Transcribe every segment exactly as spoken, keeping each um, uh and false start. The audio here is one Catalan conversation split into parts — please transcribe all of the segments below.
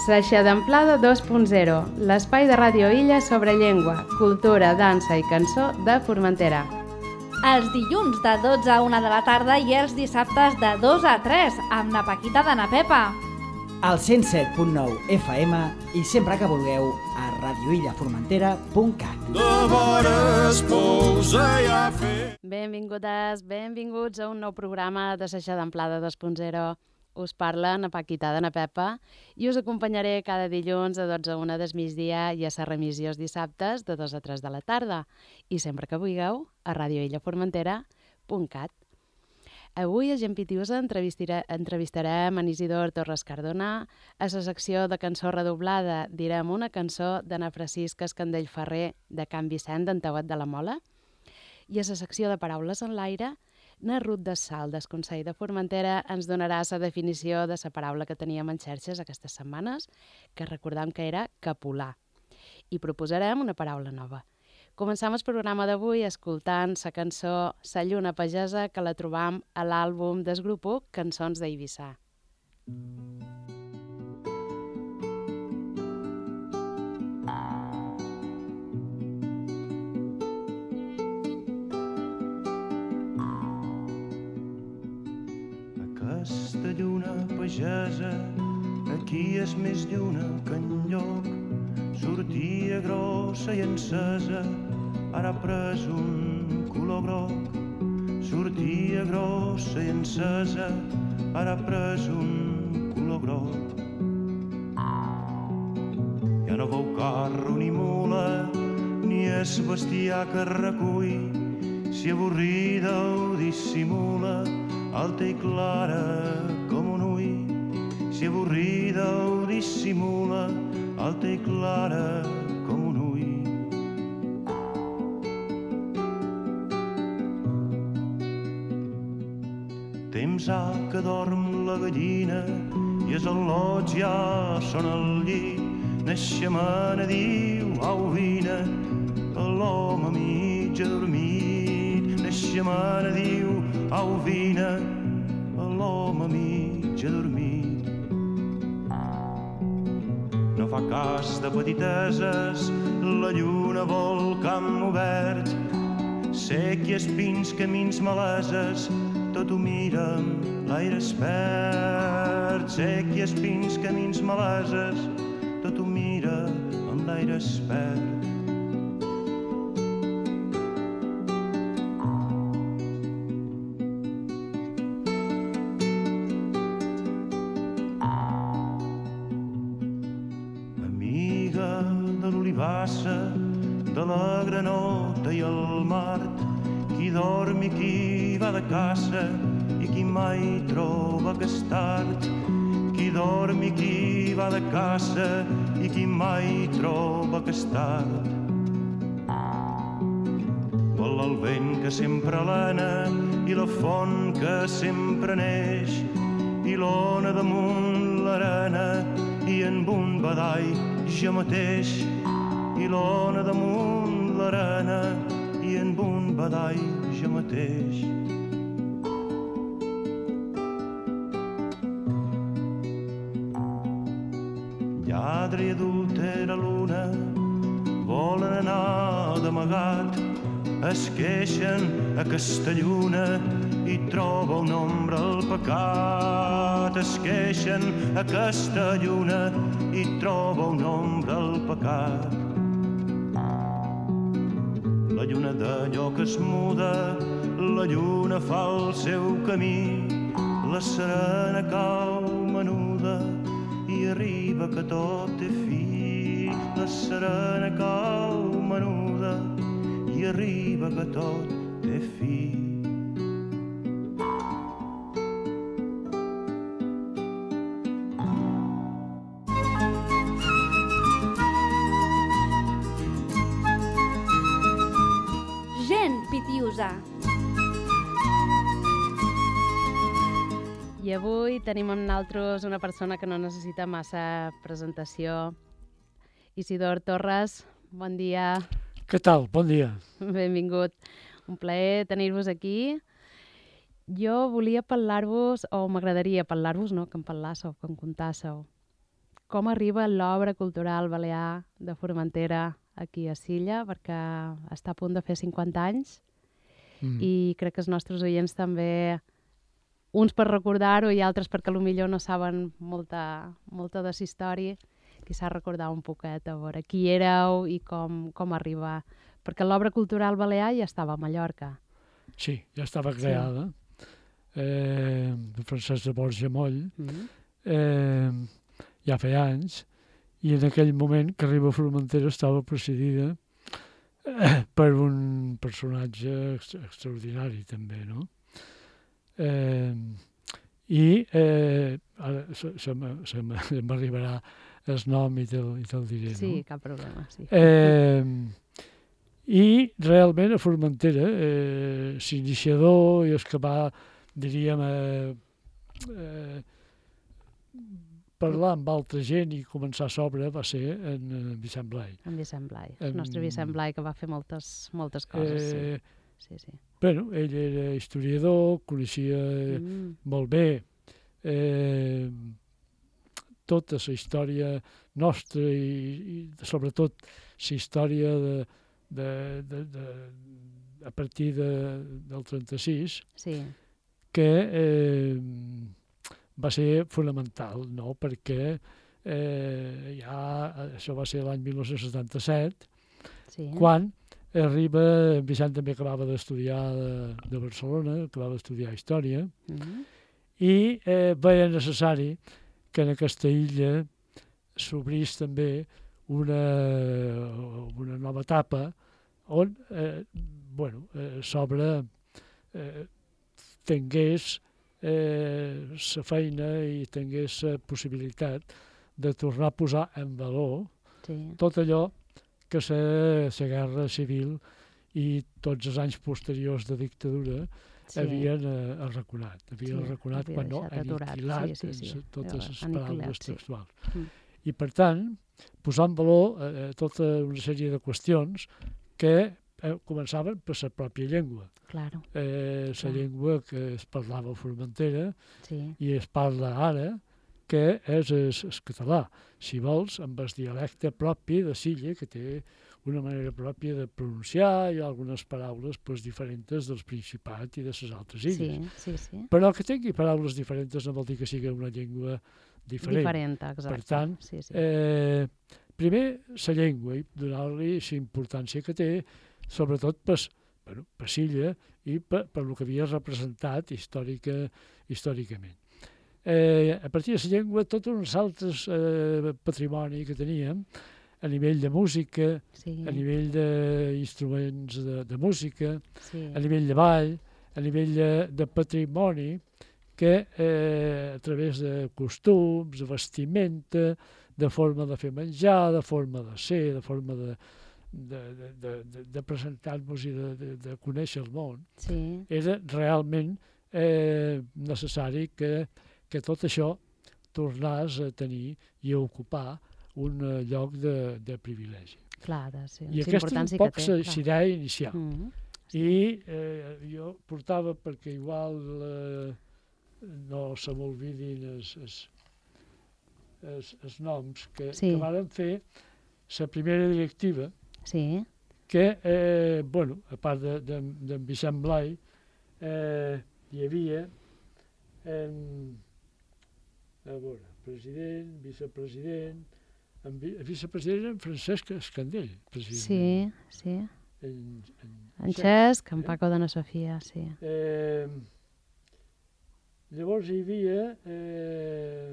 S'aixadamplada dos punt zero, l'espai de Ràdio Illa sobre llengua, cultura, dansa i cançó de Formentera. Els dilluns de dotze a una de la tarda i els dissabtes de dos a tres, amb na Paquita de na Pepa. Al cent set punt nou F M i sempre que vulgueu a radioillaformentera punt cat. De vores pousa ja fer. Benvingudes, benvinguts a un nou programa de S'aixadamplada dos punt zero. Us parla na Paquita de na Pepa i us acompanyaré cada dilluns de dotze a una del migdia i a la remissió els dissabtes de dos a tres de la tarda i sempre que vulgueu a radioillaformentera punt cat. Avui a Gent Pitiusa entrevistarem en Isidor Torres Cardona. A la secció de cançó redoblada direm una cançó de na Francisca Escandell Ferrer de Can Vicent d'en Tauet de la Mola i a la secció de paraules en l'aire na Ruth de Sal, del Consell de Formentera, ens donarà la definició de la paraula que teníem en xarxes aquestes setmanes, que recordam que era capolar. I proposarem una paraula nova. Començam el programa d'avui escoltant la cançó Sa lluna pagesa, que la trobam a l'àlbum del grup Cançons d'Eivissa. Aquesta lluna pagesa, aquí és més lluna que enlloc. Sortia grossa i encesa, ara ha pres un color groc. Sortia grossa i encesa, ara ha pres un color groc. Ja no veu carro ni mula, ni és bestiar que recull. Si avorrida ho dissimula, alta i clara com un ull. Si avorrida ho dissimula, alta i clara com un ull. Temps ha que dorm la gallina i els al·lots ja són al llit. Naixemana diu, au vine, l'home mig adormit. Naixemana diu, au vine, l'home mig adormit. No fa cas de petiteses, la lluna vol camp obert. Sec i espins, camins maleses, tot ho mira amb l'aire espert. Sec i espins, camins maleses, tot ho mira amb l'aire espert. De la granota i el mart, qui dorm i qui va de caça i qui mai troba que és tard. Qui dorm i qui va de caça i qui mai troba que és tard. Vol el vent que sempre l'ana i la font que sempre neix, i l'ona damunt l'arena i en un badall jo mateix. I l'ona damunt l'arena i en un badall jo mateix. Lladre i adultera l'una volen anar d'amagat, es queixen aquesta lluna i troba un ombra al pecat. Es queixen aquesta lluna i troba un ombra al pecat. La lluna d'allò que es muda, la lluna fa el seu camí. La serena cau menuda i arriba que tot té fi. La serena cau menuda i arriba que tot té fi. Pitiusa. I avui tenim amb nosaltres una persona que no necessita massa presentació. Isidor Torres, bon dia. Què tal? Bon dia. Benvingut. Un plaer tenir-vos aquí. Jo volia parlar-vos, o m'agradaria parlar-vos, no?, que em parlássiu, que em contássiu. com arriba l'obra cultural balear de Formentera aquí a Silla, perquè està a punt de fer cinquanta anys mm. i crec que els nostres oients també, uns per recordar-ho i altres perquè potser no saben molta, molta de la història, quizás recordar un poquet a veure qui éreu i com, com arribar. Perquè l'obra cultural balear ja estava a Mallorca. Sí, ja estava creada. Sí. Eh, Francesc de Borja Moll, mm. eh, ja feia anys, i en aquell moment que arriba a Formentera estava presidida eh, per un personatge ex extraordinari també, no? Eh, I eh, ara se, se m'arribarà el nom i te'l te diré, no? Sí, cap problema, sí. Eh, I realment a Formentera, eh, l'iniciador i el que va, diríem, eh, eh, parlar amb altra gent i començar a sobre va ser en Vicent Blai. En Vicent Blai, el nostre Vicent Blai, que va fer moltes, moltes coses, eh, sí. sí, sí. Bueno, ell era historiador, coneixia mm. molt bé eh, tota la història nostra i, i sobretot la història de, de, de, de, a partir de, del trenta-sis, sí. que eh, va ser fonamental, no? Perquè eh, ja, això va ser l'any mil nou-cents setanta-set, sí. quan arriba, Vicent també acabava d'estudiar de, de Barcelona, acabava d'estudiar Història, mm-hmm. i eh, veia necessari que en aquesta illa s'obrís també una, una nova etapa on eh, bueno, eh, sobre eh, tingués eh, la feina i tingués la possibilitat de tornar a posar en valor sí. tot allò que la guerra civil i tots els anys posteriors de dictadura sí. havien eh, arraconat. Havien sí, arraconat havia quan no aniquilat sí, sí, sí. totes les paraules sí. textuals. Mm. I per tant, posar en valor eh, tota una sèrie de qüestions que eh, començaven per la pròpia llengua. Claro. Eh, la llengua que es parlava a Formentera sí. i es parla ara, que és el, el català, si vols, amb el dialecte propi de Silla, que té una manera pròpia de pronunciar i algunes paraules pues, diferents del Principat i de les altres illes. Sí, sí, sí. Però que tingui paraules diferents no vol dir que sigui una llengua diferent. Diferent, exacte. Per tant, sí, sí. Eh, primer, la llengua, i donar-li la importància que té, sobretot per, bueno, per Silla i per, per el que havia representat històrica, històricament. Eh, a partir de la llengua, tots uns altres eh, patrimoni que teníem, a nivell de música, sí. a nivell d'instruments de, de música, sí. a nivell de ball, a nivell de, de patrimoni, que eh, a través de costums, de vestimenta, de forma de fer menjar, de forma de ser, de forma de, de, de, de, de, de presentar-nos i de, de, de conèixer el món, sí. era realment eh, necessari que que tot això tornàs a tenir i a ocupar un uh, lloc de, de privilegi. Clar, de, sí. I aquesta és un poc la idea inicial. Mm -hmm. sí. I eh, jo portava, perquè igual eh, no se m'olvidin els, els, els, els noms, que, sí. que varen fer la primera directiva, sí. que, eh, bueno, a part d'en de, de, de Vicent Blai, eh, hi havia en a veure, president, vicepresident, en vi vicepresident en Francesc Escandell, president. Sí, sí. En, en, en Xesc, en Paco de na Sofia, sí. Eh, llavors hi havia eh,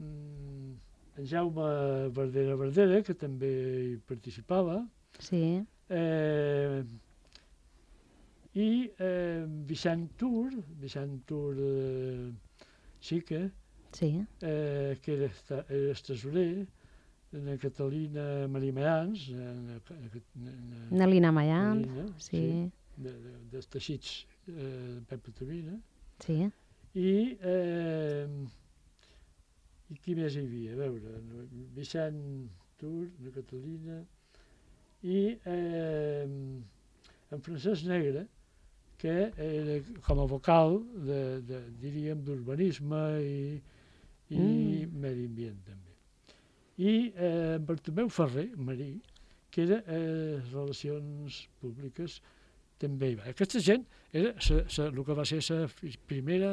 en Jaume Verdera Verdera, que també hi participava. Sí. Eh, i eh, Vicent Tur, Vicent Tur eh, Xica, sí. eh, que era, era el tesorer, na Catalina Marimayans, Nelina Mayans, sí. sí de, de, dels teixits eh, de Pepa Tavina. Sí. I, eh, i qui més hi havia? A veure, Vicent Tur, na Catalina, i eh, en Francesc Negre, que era com a vocal de, de, diríem, d'urbanisme i, i mm. medi ambient també. I eh, en Bartomeu Ferrer, marí, que era eh, relacions públiques, també hi va. Aquesta gent era sa, sa, el que va ser la primera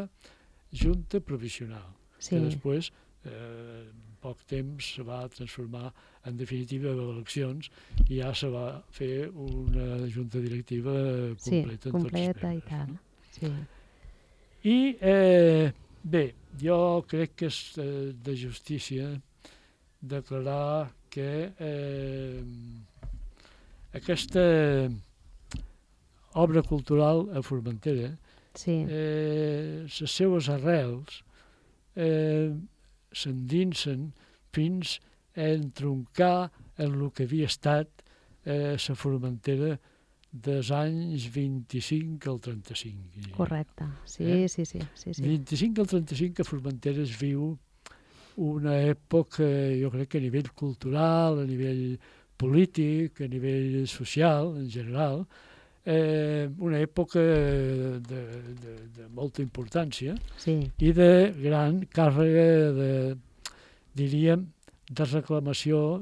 junta provisional, sí. que després, eh, en poc temps, se va transformar en definitiva en eleccions i ja se va fer una junta directiva completa, sí, en completa tots els membres. I tant. No? Sí. I, eh, bé, jo crec que és eh, de justícia declarar que eh, aquesta obra cultural a Formentera, sí. eh, les seues arrels eh, s'endinsen fins a entroncar en el que havia estat la eh, Formentera dels anys vint-i-cinc al trenta-cinc. Correcte, sí, eh? sí, sí, sí, sí. vint-i-cinc al trenta-cinc a Formentera es viu una època, jo crec que a nivell cultural, a nivell polític, a nivell social en general, eh, una època de, de, de molta importància, sí. i de gran càrrega de, diríem, de reclamació,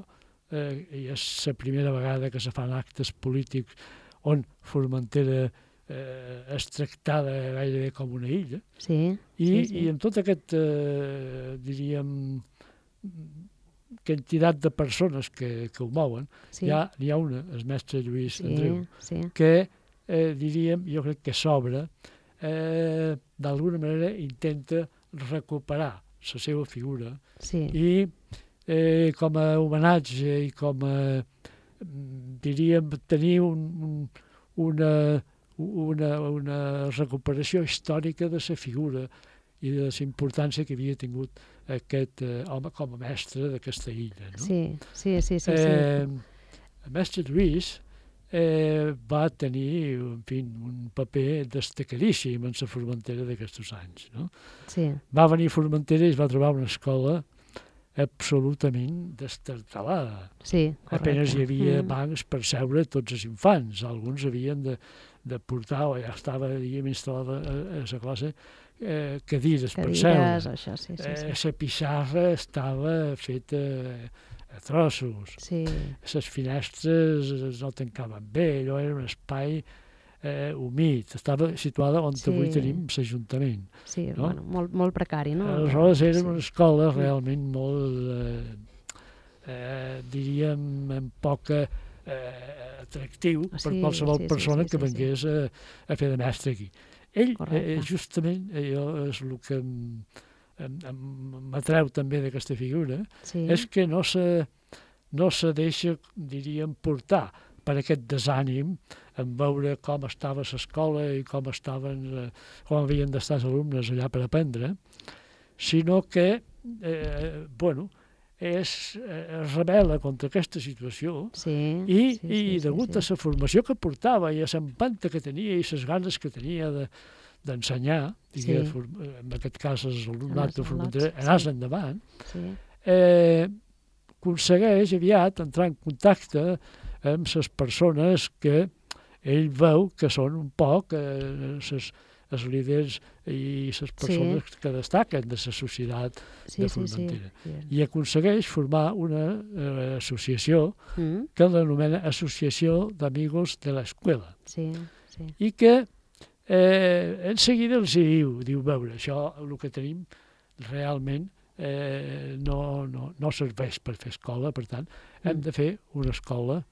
eh, i és la primera vegada que se fan actes polítics on Formentera eh, és tractada gairebé com una illa, sí, i, sí, sí. i amb tot aquest, eh, diríem, quantitat de persones que, que ho mouen, sí. ja n'hi ha una, el mestre Lluís sí, Andreu, sí. que, eh, diríem, jo crec que s'obre, eh, d'alguna manera intenta recuperar la seva figura, sí. i eh, com a homenatge i com a, diríem, tenir un, un, una, una, una recuperació històrica de la figura i de la importància que havia tingut aquest eh, home com a mestre d'aquesta illa. No? Sí, sí, sí. sí, eh, sí. El mestre Lluís eh, va tenir, en fi, un paper destacadíssim en la Formentera d'aquests anys. No? Sí. Va venir a Formentera i es va trobar una escola absolutament destartalada. Sí, correcte. Apenas hi havia mm. bancs per seure tots els infants. Alguns havien de, de portar, o ja estava, diguem, instal·lada a, a la classe, eh, cadires, cadires per seure. Això, sí, sí, sí. Eh, la pissarra estava feta a trossos. Sí. Les finestres no tancaven bé, allò era un espai eh, humit. Estava situada on sí. avui tenim l'Ajuntament. Sí, no? bueno, molt, molt precari, no? Aleshores era sí. una escola realment molt, eh, eh, diríem, amb poca eh, atractiu sí, per qualsevol sí, persona sí, sí, que vengués sí. a, a fer de mestre aquí. Ell, eh, justament, allò és el que m'atreu també d'aquesta figura, sí. és que no se, no se deixa, diríem, portar per aquest desànim en veure com estava l'escola i com estaven, eh, com havien d'estar els alumnes allà per aprendre, sinó que, eh, bueno, és, eh, es rebel·la contra aquesta situació sí, i, sí, i sí, degut sí, sí. a la formació que portava i a l'empenta que tenia i les ganes que tenia de, d'ensenyar, sí. en aquest cas els alumnat de Formentera, anàs sí. endavant, sí. eh, aconsegueix aviat entrar en contacte amb les persones que ell veu que són un poc eh, ses, els líders i les persones sí. que destaquen de la societat sí, de Formentera. Sí, sí. I aconsegueix formar una eh, associació mm. que l'anomena Associació d'Amigos de l'Escuela. Sí, sí. I que eh, en seguida els diu, diu, veure, això el que tenim realment eh, no, no, no serveix per fer escola, per tant, mm. hem de fer una escola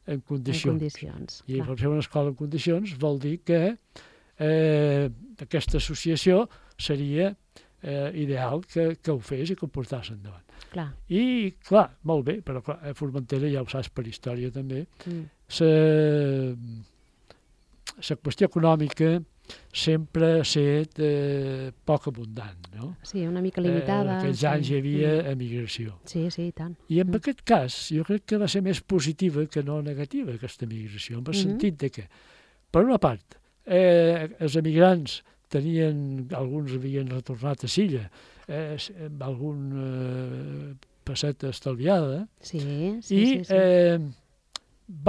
en condicions. En condicions, I clar. per fer una escola en condicions vol dir que eh, aquesta associació seria eh, ideal que, que ho fes i que ho portàs endavant. Clar. I, clar, molt bé, però clar, a Formentera, ja ho saps per història també, mm. la qüestió econòmica sempre ha estat eh, poc abundant, no? Sí, una mica limitada. Eh, en aquells sí. anys hi havia mm. emigració. Sí, sí, i tant. I en mm. aquest cas, jo crec que va ser més positiva que no negativa, aquesta emigració, en el mm-hmm. sentit de que, per una part, eh, els emigrants tenien, alguns havien retornat a Silla, eh, amb algun eh, passeta estalviada, sí, sí, i sí, sí. Eh,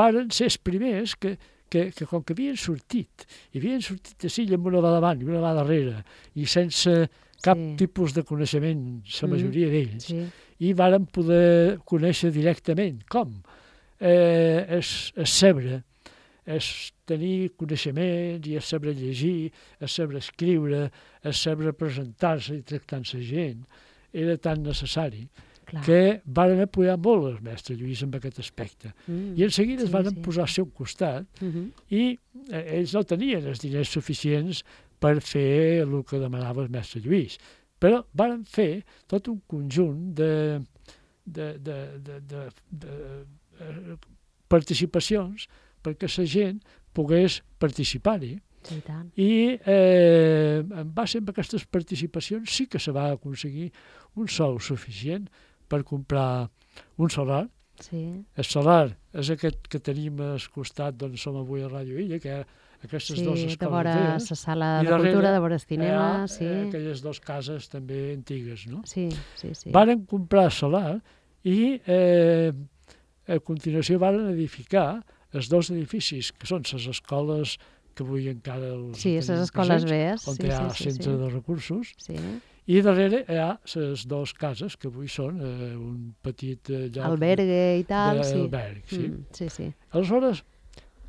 varen ser els primers que, que, que com que havien sortit, i havien sortit de Silla amb una mà davant i una mà darrere, i sense cap sí. tipus de coneixement, la majoria mm. d'ells, sí. i varen poder conèixer directament. Com? Eh, és, és saber, és tenir coneixements i és saber llegir, és saber escriure, és saber presentar-se i tractar amb la gent. Era tan necessari Clar. que varen apoyar molt el mestre Lluís en aquest aspecte. Mm. I en seguida sí, es varen sí. posar al seu costat mm-hmm. i eh, ells no tenien els diners suficients per fer el que demanava el mestre Lluís. Però varen fer tot un conjunt de, de, de, de, de, de, de participacions perquè la gent pogués participar-hi. Sí, tant. I eh, en base a aquestes participacions sí que se va aconseguir un sou suficient per comprar un solar. Sí. El solar és aquest que tenim al costat d'on som avui a Ràdio Illa, que aquestes sí, dues escoles de vora la sala de darrere, cultura, de vora el cinema. Ha, sí. eh, aquelles dues cases també antigues, no? Sí, sí, sí. Varen comprar solar i eh, a continuació varen edificar els dos edificis, que són les escoles que avui encara els sí, les escoles presents, on sí, hi ha sí, sí, centre sí. de recursos, sí. i darrere hi ha les dues cases, que avui són eh, un petit eh, lloc... Albergue i tal, sí. Alberg, sí. Mm, sí, sí. Aleshores,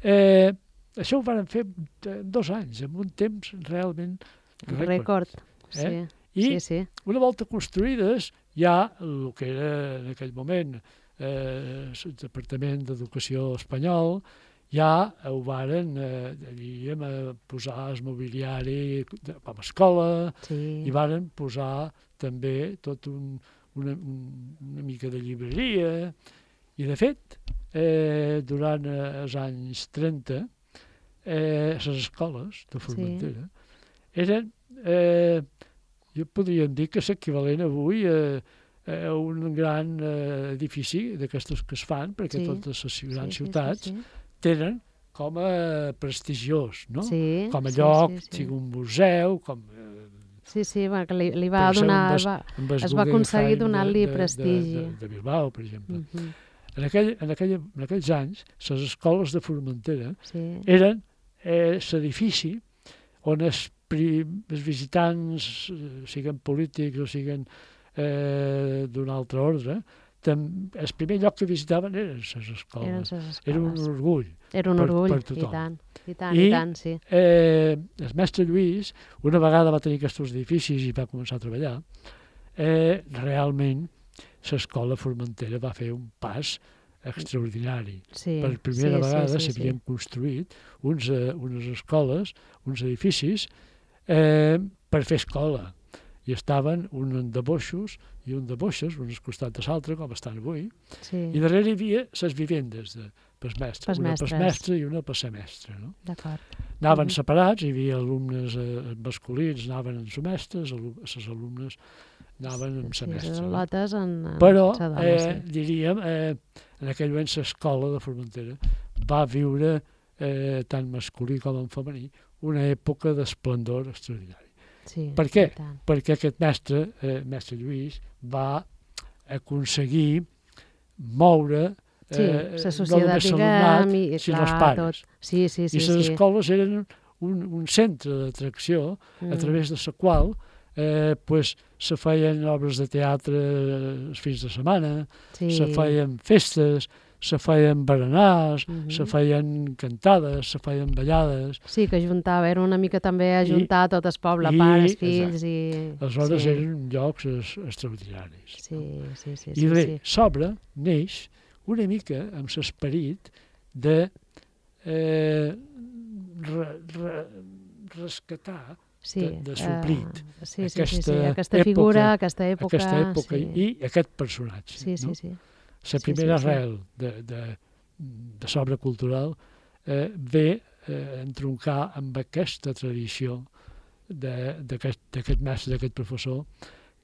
eh, això ho van fer en dos anys, en un temps realment rècord. Rècord, sí. Eh? I sí, sí. una volta construïdes, ja el que era en aquell moment eh, el Departament d'Educació espanyol, ja ho varen eh, diríem, a posar el mobiliari com a escola sí. i varen posar també tot un, una, una mica de llibreria. I, de fet, eh, durant els anys trenta, eh, les escoles de Formentera sí. eren, eh, jo podríem dir que és equivalent avui a, a un gran eh, edifici d'aquestes que es fan, perquè sí. totes les grans sí, ciutats sí, sí, sí. tenen com a prestigiós, no? Sí, com a sí, lloc, sí, sí. sigui un museu, com... Eh, sí, sí, bueno, que li, li va donar... Va, es va aconseguir donar-li prestigi. De, de, de Bilbao, per exemple. Uh -huh. en, aquell, en, aquell, en aquells anys, les escoles de Formentera sí. eren eh, l'edifici on els, prim, els visitants, eh, siguin polítics o siguin eh, d'un altre ordre, tam, el primer lloc que visitaven eren les escoles. Eren les escoles. Era un orgull. Era un per, orgull, per tothom. i tant, i tant, I, i tant, sí. Eh, el mestre Lluís, una vegada va tenir aquests edificis i va començar a treballar, eh, realment l'escola Formentera va fer un pas extraordinari. Sí, per primera sí, vegada sí, sí, s'havien sí. construït uns, uh, unes escoles, uns edificis, eh, per fer escola. I estaven un de boixos i un de boixes, un al costat de l'altre, com estan avui, sí. i darrere hi havia les vivendes de pels mestres, pels una mestres. pels mestres i una per ser mestre. No? D'acord. Anaven uh -huh. separats, hi havia alumnes eh, masculins, anaven amb les mestres, les alumnes anaven amb sí, la mestra. Sí, no? lotes en, en Però, sa dona, eh, sí. diríem, eh, en aquell moment l'escola de Formentera va viure, eh, tant masculí com en femení, una època d'esplendor extraordinari. Sí, per què? Perquè aquest mestre, eh, mestre Lluís, va aconseguir moure sí, eh, la societat, diguem, i, sinó clar, els pares. Tot. Sí, sí, sí, I les sí. escoles eren un, un centre d'atracció mm. a través de la qual eh, pues, se feien obres de teatre els fins de setmana, sí. se feien festes, se feien berenars, mm -hmm. se feien cantades, se feien ballades. Sí, que juntava, era una mica també ajuntar I, tot el poble, i, pares, fills exacte. i... Aleshores sí. eren llocs extraordinaris. Sí, no? sí, sí. I sí, bé, sí. s'obre, neix, una mica amb l'esperit de eh, re, re, rescatar, sí, de, de suplit uh, sí, sí, aquesta, sí, sí, aquesta figura, època, aquesta època, aquesta època sí. i aquest personatge. Sí, sí, no? sí. La primera sí, sí, arrel sí. de, de, de l'obra cultural eh, ve eh, entroncar amb aquesta tradició d'aquest mestre, d'aquest professor,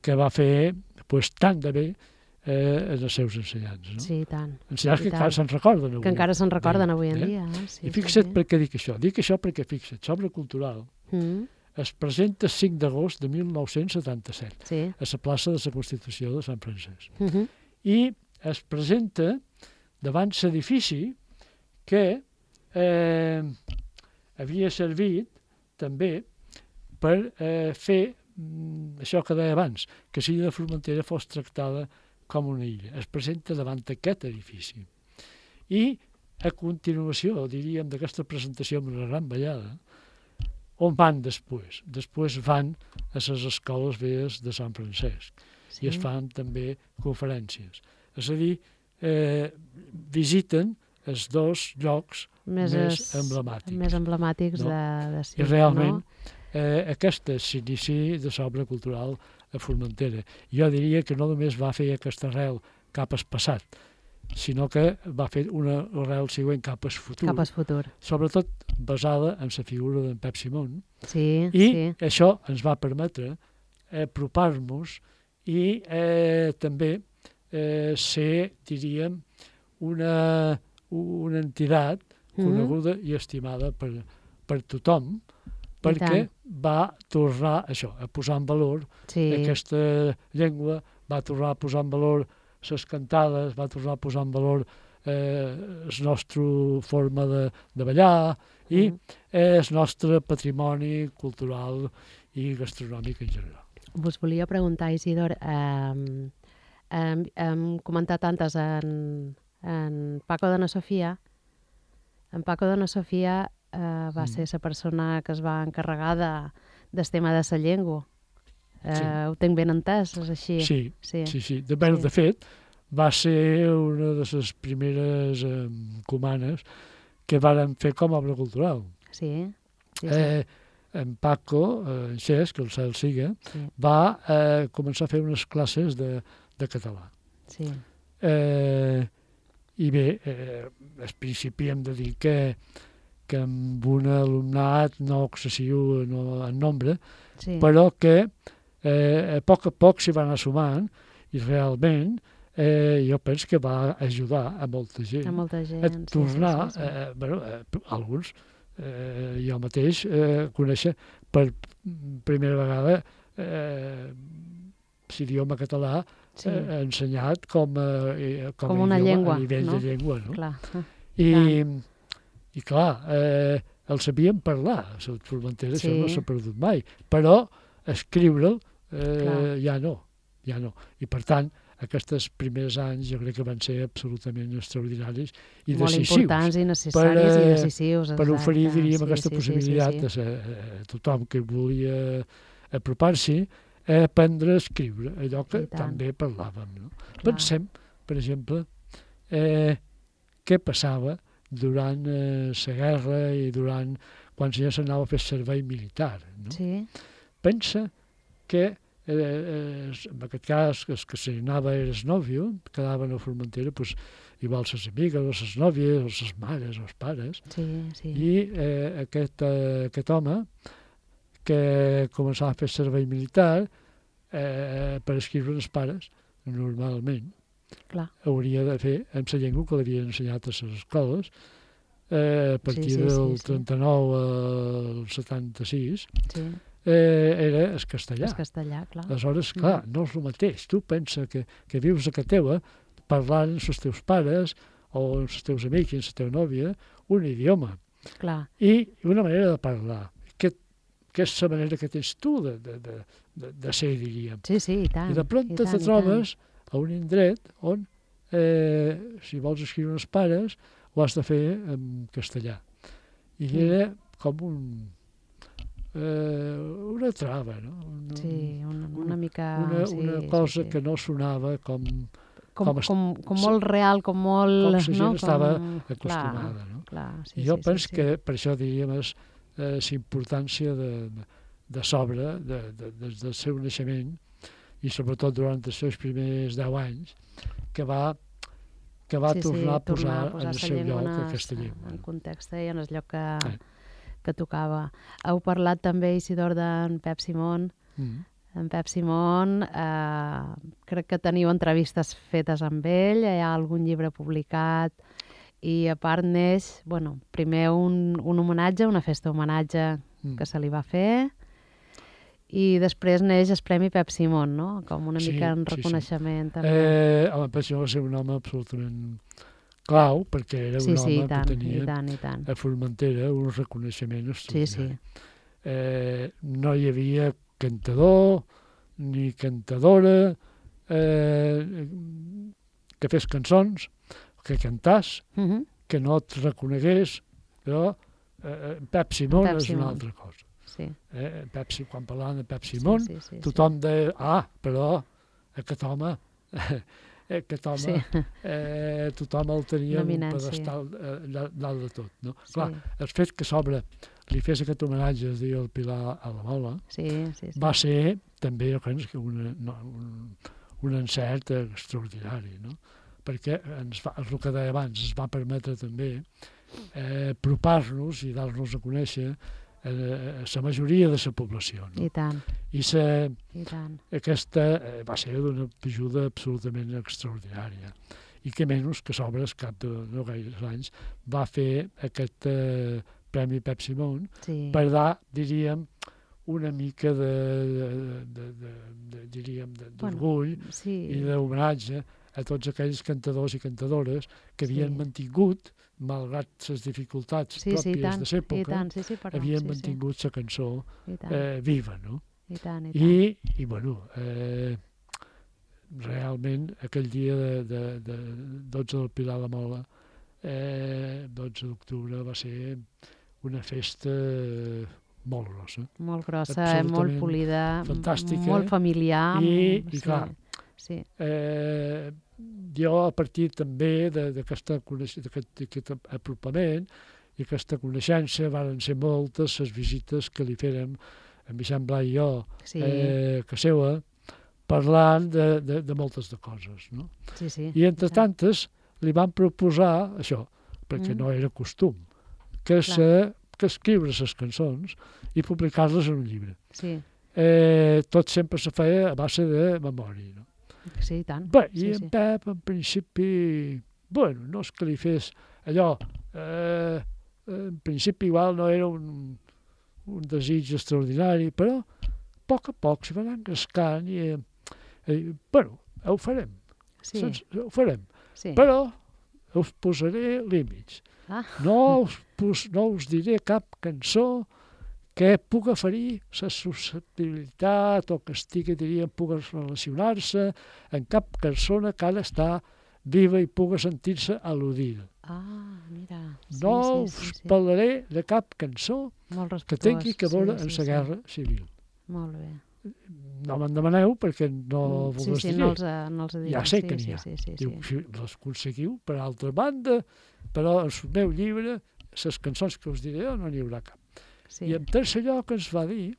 que va fer pues, tant de bé eh, els seus ensenyants. No? Sí, tant. Ensenyants sí, que tant. encara se'n recorden avui. Que encara se'n recorden avui en eh? dia. Eh? Sí, I fixa't sí, sí. per què dic això. Dic això perquè, fixa't, l'obra cultural mm. es presenta el cinc d'agost de mil nou-cents setanta-set sí. a la plaça de la Constitució de Sant Francesc. Mm -hmm. I es presenta davant l'edifici que eh, havia servit també per eh, fer això que deia abans, que l'illa de Formentera fos tractada com una illa. Es presenta davant aquest edifici. I a continuació, diríem, d'aquesta presentació amb una gran ballada, on van després? Després van a les escoles velles de Sant Francesc sí. i es fan també conferències. És a dir, eh, visiten els dos llocs més, més emblemàtics. Més emblemàtics no? de, de sí, I realment, no? eh, aquesta és l'inici de l'obra cultural a Formentera. Jo diria que no només va fer aquesta arrel cap al passat, sinó que va fer una arrel següent cap al futur. Cap al futur. Sobretot basada en la figura d'en Pep Simón. Sí, I sí. això ens va permetre apropar-nos i eh, també eh, ser, diríem, una, una entitat coneguda mm-hmm. i estimada per, per tothom, perquè va tornar això, a posar en valor sí. aquesta llengua, va tornar a posar en valor les cantades, va tornar a posar en valor eh, la nostra forma de, de ballar i mm. el nostre patrimoni cultural i gastronòmic en general. Vos volia preguntar, Isidor, eh, hem, hem comentat antes en, en Paco de na Sofia. En Paco de na Sofia eh, va mm. ser la persona que es va encarregar de, del tema de la llengua. Eh, sí. Ho tenc ben entès, és així? Sí, sí, sí. sí. De, sí. de fet, va ser una de les primeres eh, comanes que varen fer com a obra cultural. Sí, sí, sí. Eh, en Paco, eh, en Xesc, que el cel siga, sí. va eh, començar a fer unes classes de, de català. Sí. Eh, I bé, eh, al principi hem de dir que, que amb un alumnat no excessiu no, en nombre, sí. però que eh, a poc a poc s'hi va anar sumant i realment eh, jo penso que va ajudar a molta gent a, molta gent, a tornar, sí, sí, sí, sí. Eh, bueno, eh, alguns, eh, jo mateix eh, conèixer per primera vegada eh, l'idioma català sí. eh, ensenyat com a, com com a una idioma, llengua, a nivell no? de llengua. No? Clar. I, i clar, eh, el sabíem parlar, a Formentera sí. això no s'ha perdut mai, però escriure'l eh, ja no, ja no. I per tant, aquests primers anys jo crec que van ser absolutament extraordinaris i molt decisius. Molt importants i necessaris per, eh, i decisius. Per oferir, diríem, sí, aquesta sí, possibilitat sí, sí, sí. a, a tothom que volia apropar-s'hi a aprendre a escriure, allò que també parlàvem. No? Pensem, per exemple, eh, què passava durant eh, la guerra i durant quan ja s'anava a fer servei militar. No? Sí. Pensa que Eh, eh, en aquest cas, els que se n'anava era el nòvio, quedaven a Formentera, pues, igual les amigues, o les nòvies, o les mares, o els pares. Sí, sí. I eh, aquest, eh, aquest home, que començava a fer servei militar, eh, per escriure els pares, normalment, Clar. hauria de fer amb la llengua que l'havien ensenyat a les escoles, eh, a partir sí, sí, del sí, sí. trenta-nou al setanta-sis, sí. Eh, era el castellà. El castellà, clar. Aleshores, clar, mm. no és el mateix. Tu pensa que, que vius a casa teva parlant amb els teus pares o amb els teus amics i amb la teva nòvia un idioma. Clar. I una manera de parlar. Que, que és la manera que tens tu de, de, de, de, de ser, diríem. Sí, sí, i tant. I de pronto te trobes a un indret on, eh, si vols escriure els pares, ho has de fer en castellà. I mm. era com un... Eh, una trava, no? Una, sí, una, una mica... Una, sí, una cosa sí, sí. que no sonava com... Com, com, com, com molt real, com molt... Com la gent no? estava com... acostumada, clar, no? Clar, sí, I jo sí, penso sí, que sí. per això diríem és eh, la importància de, de, de sobre, de, de, des del seu naixement, i sobretot durant els seus primers deu anys, que va, que va sí, tornar sí, a posar, a posar en el seu lloc aquesta llengua. En context i en el lloc que... Eh. que tocava. Heu parlat també, Isidor, d'en Pep Simón. Mm. En Pep Simón, eh, crec que teniu entrevistes fetes amb ell, hi ha algun llibre publicat, i a part neix, bueno, primer un, un homenatge, una festa homenatge mm. que se li va fer, i després neix el Premi Pep Simón, no? Com una sí, mica en reconeixement. Sí, sí. També. Eh, home, Pep Simón va ser un home absolutament... clau, perquè era sí, un sí, home tant, que tenia i tant, i tant. a Formentera un reconeixement extraordinari. Sí, sí. Eh, no hi havia cantador ni cantadora eh, que fes cançons, que cantàs, Uh -huh. que no et reconegués, però eh, Pep Simon Pep és Simon. una altra cosa. Sí. Eh, Pep, quan parlàvem de Pep Simon, sí, sí, sí, tothom deia, ah, però aquest home, aquest home, sí. eh, tothom el tenia en un Eminència. pedestal eh, dalt de tot. No? Sí. Clar, el fet que sobre li fes aquest homenatge, es diu el Pilar a la Mola, Sí, sí, sí. va ser també, jo crec que una, no, un, un encert extraordinari, no? Perquè ens va, el que deia abans, ens va permetre també eh, apropar-nos i dar-nos a conèixer eh, la majoria de la població. No? I tant, I sa, i tant. aquesta eh, va ser d'una ajuda absolutament extraordinària. I que menys que sobre el cap de no gaires anys va fer aquest eh, Premi Pep Simon Sí. per dar, diríem, una mica de, de, de, de, de diríem, de- d'orgull Bueno, sí. i d'homenatge a tots aquells cantadors i cantadores que havien Sí. mantingut, malgrat les dificultats Sí, sí, i pròpies tant, de i l'època, tant, sí, sí, perdó, havien sí, mantingut la cançó sí, i tant, eh, viva, no? i tant, i tant. I, i bueno, eh, realment aquell dia de, de, de dotze del Pilar a la Mola, eh, dotze d'octubre, va ser una festa molt grossa. Molt grossa, eh, molt absolutament polida, m- fantàstica. molt familiar. I- m- i sí, clar, Sí, Eh, jo, a partir també de- d'aquesta coneix- d'aquest d'aquest apropament i aquesta coneixença, varen ser moltes les visites que li fèrem en Vicent Blai i jo, sí, eh, que seua, parlant de, de, de moltes de coses. No? sí, sí. I entre tant. tantes li van proposar això, perquè Mm. no era costum, que, se, que escriure les cançons i publicar-les en un llibre. Sí, Eh, tot sempre se feia a base de memòria. No? sí, i tant. Bé, sí, i en sí. Pep, en principi, bueno, no és que li fes allò, eh, en principi igual no era un, un desig extraordinari, però a poc a poc s'hi va anar engrescant i, eh, eh, bueno, ho farem, Sí, saps? Ho farem, sí. però us posaré límits. Ah. No us, pos, no us diré cap cançó que puga ferir la susceptibilitat o que estigui, diríem, puga relacionar-se amb cap persona que ara està viva i puga sentir-se al·ludida. Ah, mira. Sí, No sí, sí, us sí. parlaré de cap cançó Molt que respectuós. tingui que veure sí, amb sí, la sí. guerra civil. Molt bé. No me'n demaneu perquè no Mm, vos sí, les sí, diré. no els, eh, no els diré. Ja sé sí, que n'hi sí, ha. Sí, sí, sí. Diu, si les aconseguiu, per altra banda, però en el meu llibre, les cançons que us diré, no n'hi haurà cap. sí. I en tercer lloc ens va dir,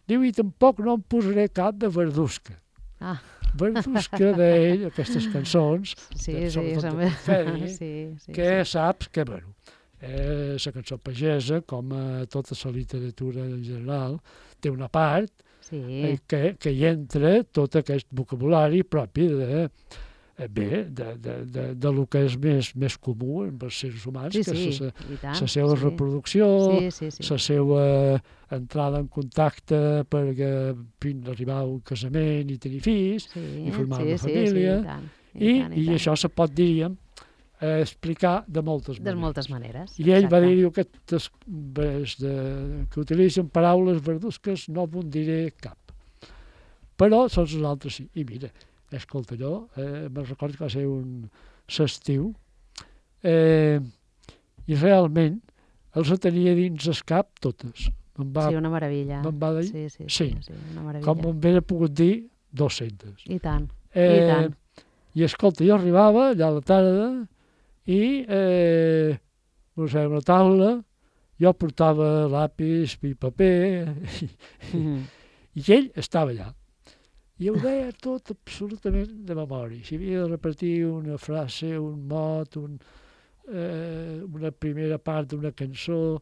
diu, i tampoc no em posaré cap de Verdusca. Ah. Verdusca d'ell, aquestes cançons, Sí, de- sí, sobretot sí, de Fedi, sí, sí, que sí. saps que, bueno, eh, la cançó pagesa, com a tota la literatura en general, té una part Sí, eh, que, que hi entra tot aquest vocabulari propi de, eh, bé, de, de, de, de lo que és més, més comú amb els seres humans, sí, que sí, és la, i tant. la seva sí. reproducció, Sí, sí, sí. la seva entrada en contacte per eh, fins a arribar a un casament i tenir fills, sí, i formar sí, una sí, família, Sí, i tant, i, tant, i tant. això se pot, diríem, eh, explicar de moltes De maneres. moltes maneres. I ell va exacte. dir, diu, aquestes ves de, que utilitzen paraules verdusques no me'n diré cap. Però són els altres sí. I mira, escolta, jo eh, me'n recordo que va ser un s'estiu eh, i realment els tenia dins el cap totes. Me'n va, Sí, una meravella. me'n va dir, Sí, sí, sí. sí, sí, una meravella. com me'n havia pogut dir, dos-centes. I tant, Eh, i tant. I escolta, jo arribava allà a la tarda i eh, posàvem una taula, jo portava lápis i paper i, Mhm. i ell estava allà. I ho deia tot absolutament de memòria. Si havia de repetir una frase, un mot, un, eh, una primera part d'una cançó,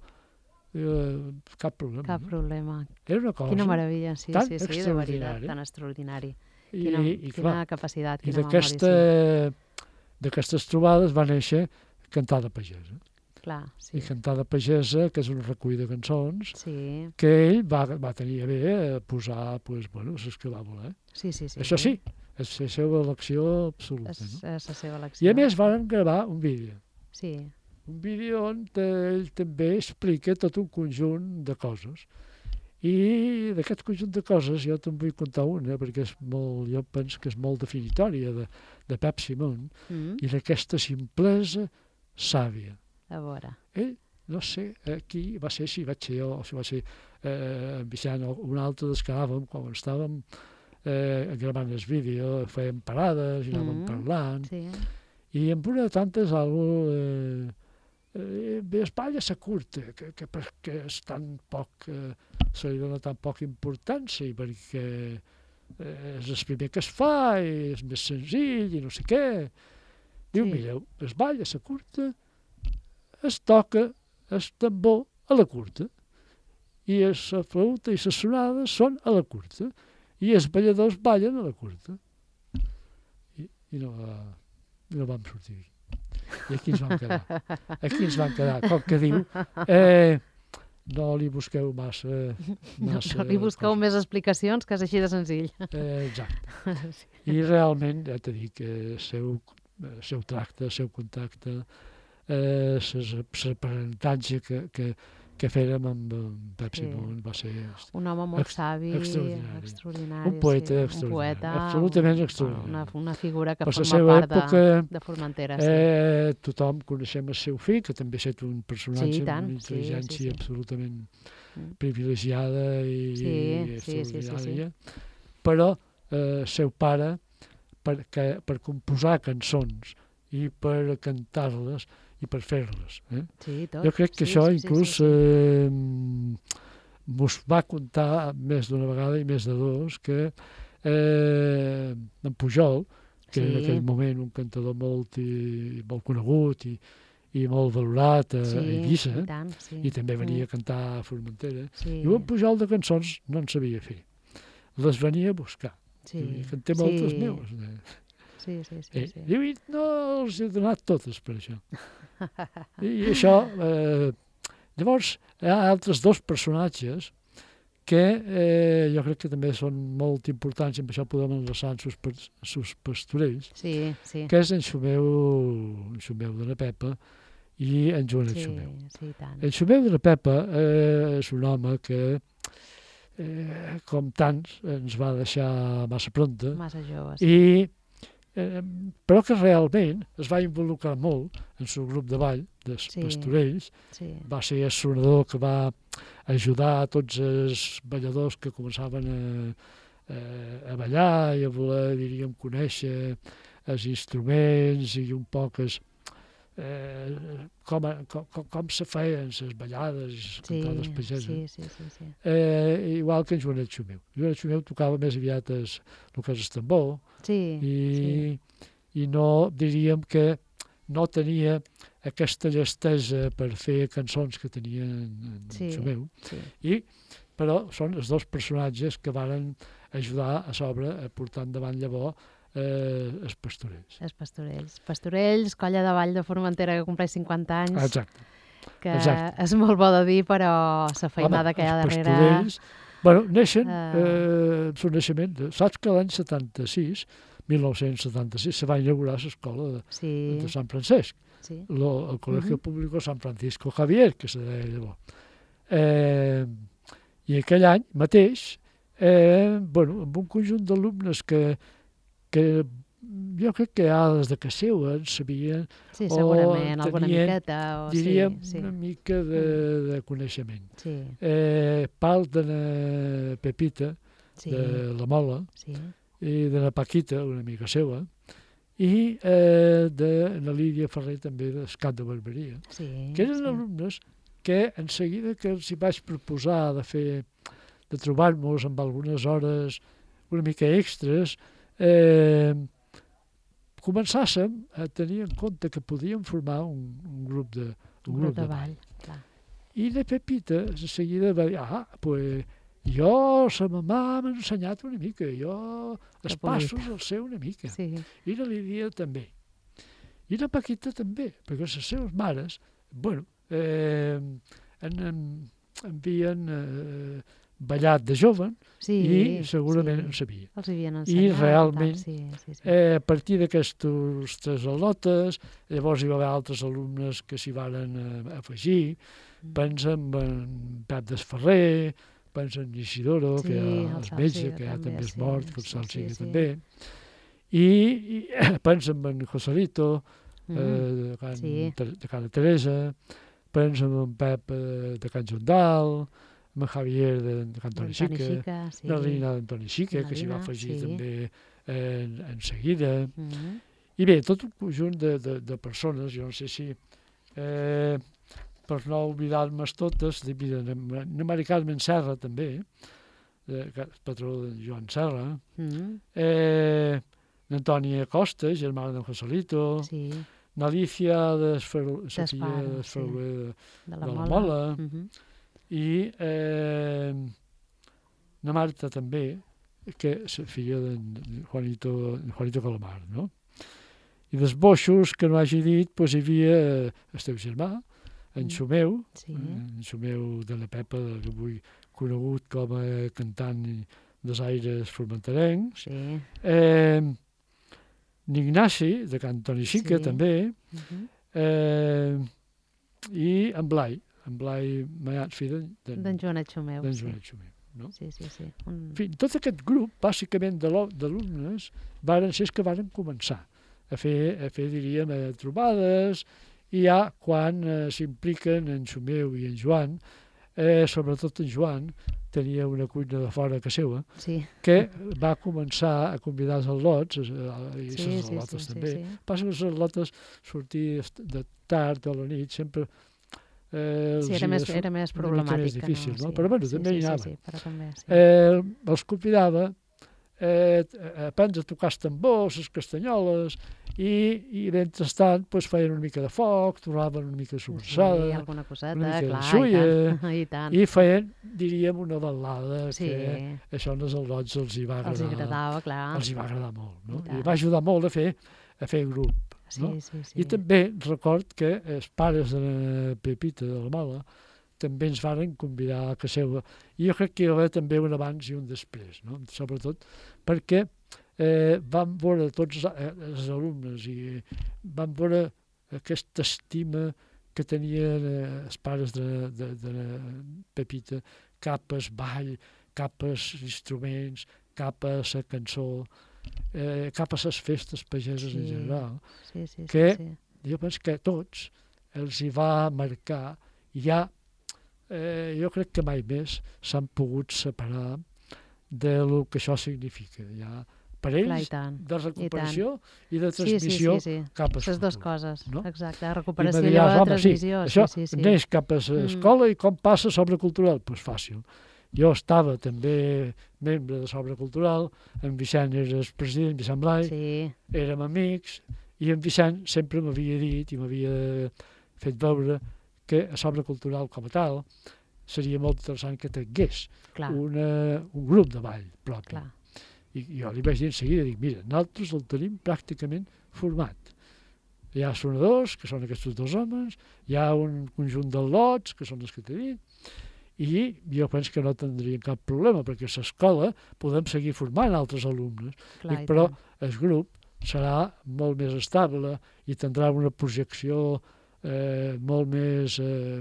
eh, cap problema. Cap no? problema. Era una cosa. Quina meravella, sí, tan sí, sí, de veritat, extraordinari. tan extraordinari. I, Quina, i, quina clar, capacitat, i quina d'aquesta, memòria, d'aquestes trobades va néixer Cantada Pagesa. sí. Clar, sí. I Cantada Pagesa, que és un recull de cançons, Sí, que ell va, va tenir a bé a posar, pues, bueno, les que va voler. sí, sí. sí Això sí, és la seva elecció absoluta. És, No? és la seva elecció. I a més van gravar un vídeo. Sí, Un vídeo on ell també explica tot un conjunt de coses. I d'aquest conjunt de coses jo te'n vull contar una, perquè és molt, jo penso que és molt definitòria de, de Pep Simón, Mm. i d'aquesta simplesa sàvia. A veure. Ell, no sé qui va ser, si vaig ser jo, o si va ser eh, en Vicent o un altre dels que anàvem, quan estàvem eh, gravant el vídeo, fèiem parades i anàvem Mm. parlant, Sí. i en una de tantes algú eh, eh, bé, espatlla sa curta, que, que perquè és tan poc, eh, se li dona tan poca importància, perquè eh, és el primer que es fa, i és més senzill, i no sé què. Diu, Sí. mireu, es balla sa curta, es toca el tambor a la curta, i la flauta i les sonades són a la curta, i els balladors ballen a la curta. I, i no, va, no vam sortir d'aquí. I aquí ens vam quedar. Aquí ens vam quedar. Com que diu, eh, no li busqueu massa... No, massa no li busqueu cosa. més explicacions, que és així de senzill. Eh, exacte. I realment, ja t'he dit que el seu, el seu tracte, el seu contacte, eh, l'aprenentatge que, que, que fèrem amb en Pep Sí. Simón va ser Un home molt Ex- savi, extraordinari. extraordinari. Un poeta sí. extraordinari, Un poeta, absolutament un- extraordinari. Una, una figura que per la forma seva part època. de, de Formentera. Sí. Eh, tothom coneixem el seu fill, que també ha estat un personatge Sí, i amb tant, una sí, sí, intel·ligència sí. absolutament Mm. privilegiada i, Sí, i sí, sí, sí, sí. extraordinària. Però eh, el seu pare, per, que, per composar cançons i per cantar-les i per fer-les. Eh? Sí, tot. Jo crec que sí, això sí, sí, inclús sí, sí. eh, mos va contar més d'una vegada i més de dos que eh, en Pujol, que Sí. en aquell moment un cantador molt, i, molt conegut i, i molt valorat a, sí, a Eivissa, i tant, sí. i també venia Mm. a cantar a Formentera, Sí, i un Pujol de cançons no en sabia fer. Les venia a buscar. sí, I canté moltes sí. meus. Eh? Sí, sí, sí. Eh, sí. Diu, i no els he donat totes per això. I, i això... Eh, llavors, hi ha altres dos personatges que eh, jo crec que també són molt importants, i amb això podem enlaçar en sus, sus pastorells, Sí, sí. que és en Xumeu, en Xumeu de la Pepa i en Joanet Sí, Xumeu. sí, i tant. En Xumeu de la Pepa eh, és un home que, eh, com tants, ens va deixar massa pronta, Massa jove, sí. i, eh, però que realment es va involucrar molt en el seu grup de ball, dels Sí. pastorells. sí. Va ser el sonador que va ajudar a tots els balladors que començaven a, a, a ballar i a voler, diríem, conèixer els instruments i un poc els, eh, com, com, com, com se feien les ballades i les Sí, cantades pageses. sí, sí, sí, sí. Eh, igual que en Joanet Xumeu. Joanet Xumeu tocava més aviat es, el que és el tambor Sí, i, sí. i no diríem que no tenia aquesta llestesa per fer cançons que tenia en, en Sí. Xumeu, sí. i, però són els dos personatges que varen ajudar a sobre a portar endavant llavors eh, els pastorells. Els Pastorells. Pastorells, colla de ball de Formentera que compleix cinquanta anys, Exacte. que exacte. és molt bo de dir, però la feinada que hi ha els darrere... pastorells, bueno, neixen, Eh. eh, el seu naixement, saps que l'any setanta-sis, mil nou-cents setanta-sis, se va inaugurar l'escola de, Sí, de Sant Francesc. sí. Lo, el Colegio Mhm. Público San Francisco Javier, que se deia llavors. Eh, I aquell any mateix, eh, bueno, amb un conjunt d'alumnes que, que jo crec que ja des de que seu en sabien, Sí, o segurament, alguna tenien, miqueta. O... diríem, sí, sí. una mica de, de coneixement. Sí, Eh, Pal de la Pepita, sí, de la Mola, sí. i de la Paquita, una amiga seva, i eh, de la Lídia Ferrer, també, d'Escat de Barberia, sí, que eren sí. alumnes que en seguida que els hi vaig proposar de fer, de trobar-nos amb algunes hores una mica extres, eh, començàssim a tenir en compte que podíem formar un, un grup de, un Un grup de ball, clar. I la Pepita de seguida va dir, ah, pues jo, sa mamà m'ha ensenyat una mica, jo els Que polit. passos els sé una mica. Sí, I la Lídia també. I la Paquita també, perquè les seves mares, bueno, eh, en, en, havien eh, ballat de jove sí. i segurament sí. en sabia. Els havien ensenyat. realment, tal, sí, sí, sí. Eh, a partir d'aquestes tres al·lotes, llavors hi va haver altres alumnes que s'hi varen eh, afegir, Mm. pensa en, en Pep Desferrer, pensa en Isidoro, Sí, que ja el és Salsiga metge, que ja també, també és sí, mort, que el sí, Salsiga sí, sí. també. I, i pensa en Joselito, Mm. eh, de, Can, sí. Ter- de Cana Teresa, pensa en Pep eh, de Can Jondal, en Javier de, de Can Toni D'Antoni Xica, Xica, sí. la Rina d'Antoni Xica, que s'hi va Marina, afegir sí. també en, en seguida. Mm. I bé, tot un conjunt de, de, de persones, jo no sé si, eh, per no oblidar-me totes, de, mira, en Mari Carmen Serra també, eh, patró de Joan Serra, Mm. eh, n'Antònia Costa, germana d'en Joselito, Sí, n'Alicia d'Esferoler, D'Espara, Sofia d'Esferoler de, de de la la Mola. Mola, Mhm. i eh, na Marta també, que és filla d'en Juanito, Juanito Calamar, no? I dels boixos, que no hagi dit, doncs hi havia eh, el teu germà, en Mm. Xumeu, Sí, en Xumeu de la Pepa, que avui conegut com a cantant dels aires formenterencs, sí. eh, n'Ignasi, de Can Toni Xica, Sí. també, Mhm. eh, i en Blai, en Blai Mayats, fill d'en D'en d'en Joanet Xumeu, sí. Joanet Xumeu. No? Sí, sí, sí. Un... En fi, tot aquest grup, bàsicament de lo- d'alumnes, varen ser els que varen començar a fer, a fer diríem, eh, trobades, i ja quan eh, s'impliquen en Xumeu i en Joan, eh, sobretot en Joan, tenia una cuina de fora a casa seva, Sí. que va començar a convidar els al·lots, eh, i Sí, les sí, al·lotes sí, també. sí, sí. Passa que les al·lotes sortir de tard o a la nit sempre eh, Sí, els era hi més, és era més una mica problemàtic. més que difícil, no? no? Sí. Però bueno, sí, també sí, hi sí, anaven. sí, però també, sí. Eh, els convidava eh, a aprendre a tocar els tambors, les castanyoles, i, i mentrestant pues, feien una mica de foc, tornaven una mica de sí, sobrassada, alguna coseta, una mica de clar, xulla, i tant. I tant. i feien, diríem, una ballada Sí, que això als al·lots els hi va els agradar. agradava, clar. Els hi va agradar molt, no? I tant. I va ajudar molt a fer, a fer grup. Sí, no? sí, sí. I també record que els pares de la Pepita de la Mala també ens varen convidar a casa seva. I jo crec que hi va haver també un abans i un després, no? Sobretot perquè eh, vam veure tots eh, els alumnes i vam veure aquesta estima que tenien eh, els pares de, de, de la Pepita cap al ball, cap als instruments, cap a la cançó, eh, cap a les festes pageses Sí. en general. Sí, sí, sí, que- sí. Jo penso que a tots els hi va marcar i ja, eh, jo crec que mai més s'han pogut separar del que això significa. Ja, per Clar, i ells, tant. de recuperació i, de Sí, sí, transmissió sí, sí. cap a Les dues futur, coses, no? exacte. I Recuperació me i diràs, llavors home, sí, transmissió. això sí, sí, sí. neix cap a l'escola i com passa sobre cultural? Doncs pues fàcil. Jo estava també membre de Sobre Cultural, en Vicent era el president, Vicent Blai, Sí, érem amics, i en Vicent sempre m'havia dit i m'havia fet veure que a Sobre Cultural com a tal seria molt interessant que tingués clar, una, un grup de ball propi. clar. I, I jo li vaig dir en seguida, dic, mira, nosaltres el tenim pràcticament format. Hi ha sonadors, que són aquests dos homes, hi ha un conjunt d'al·lots, que són els que t'he dit, i jo penso que no tindrien cap problema, perquè a l'escola podem seguir formant altres alumnes, clar dic, i però tant. el grup serà molt més estable i tindrà una projecció eh, molt més eh,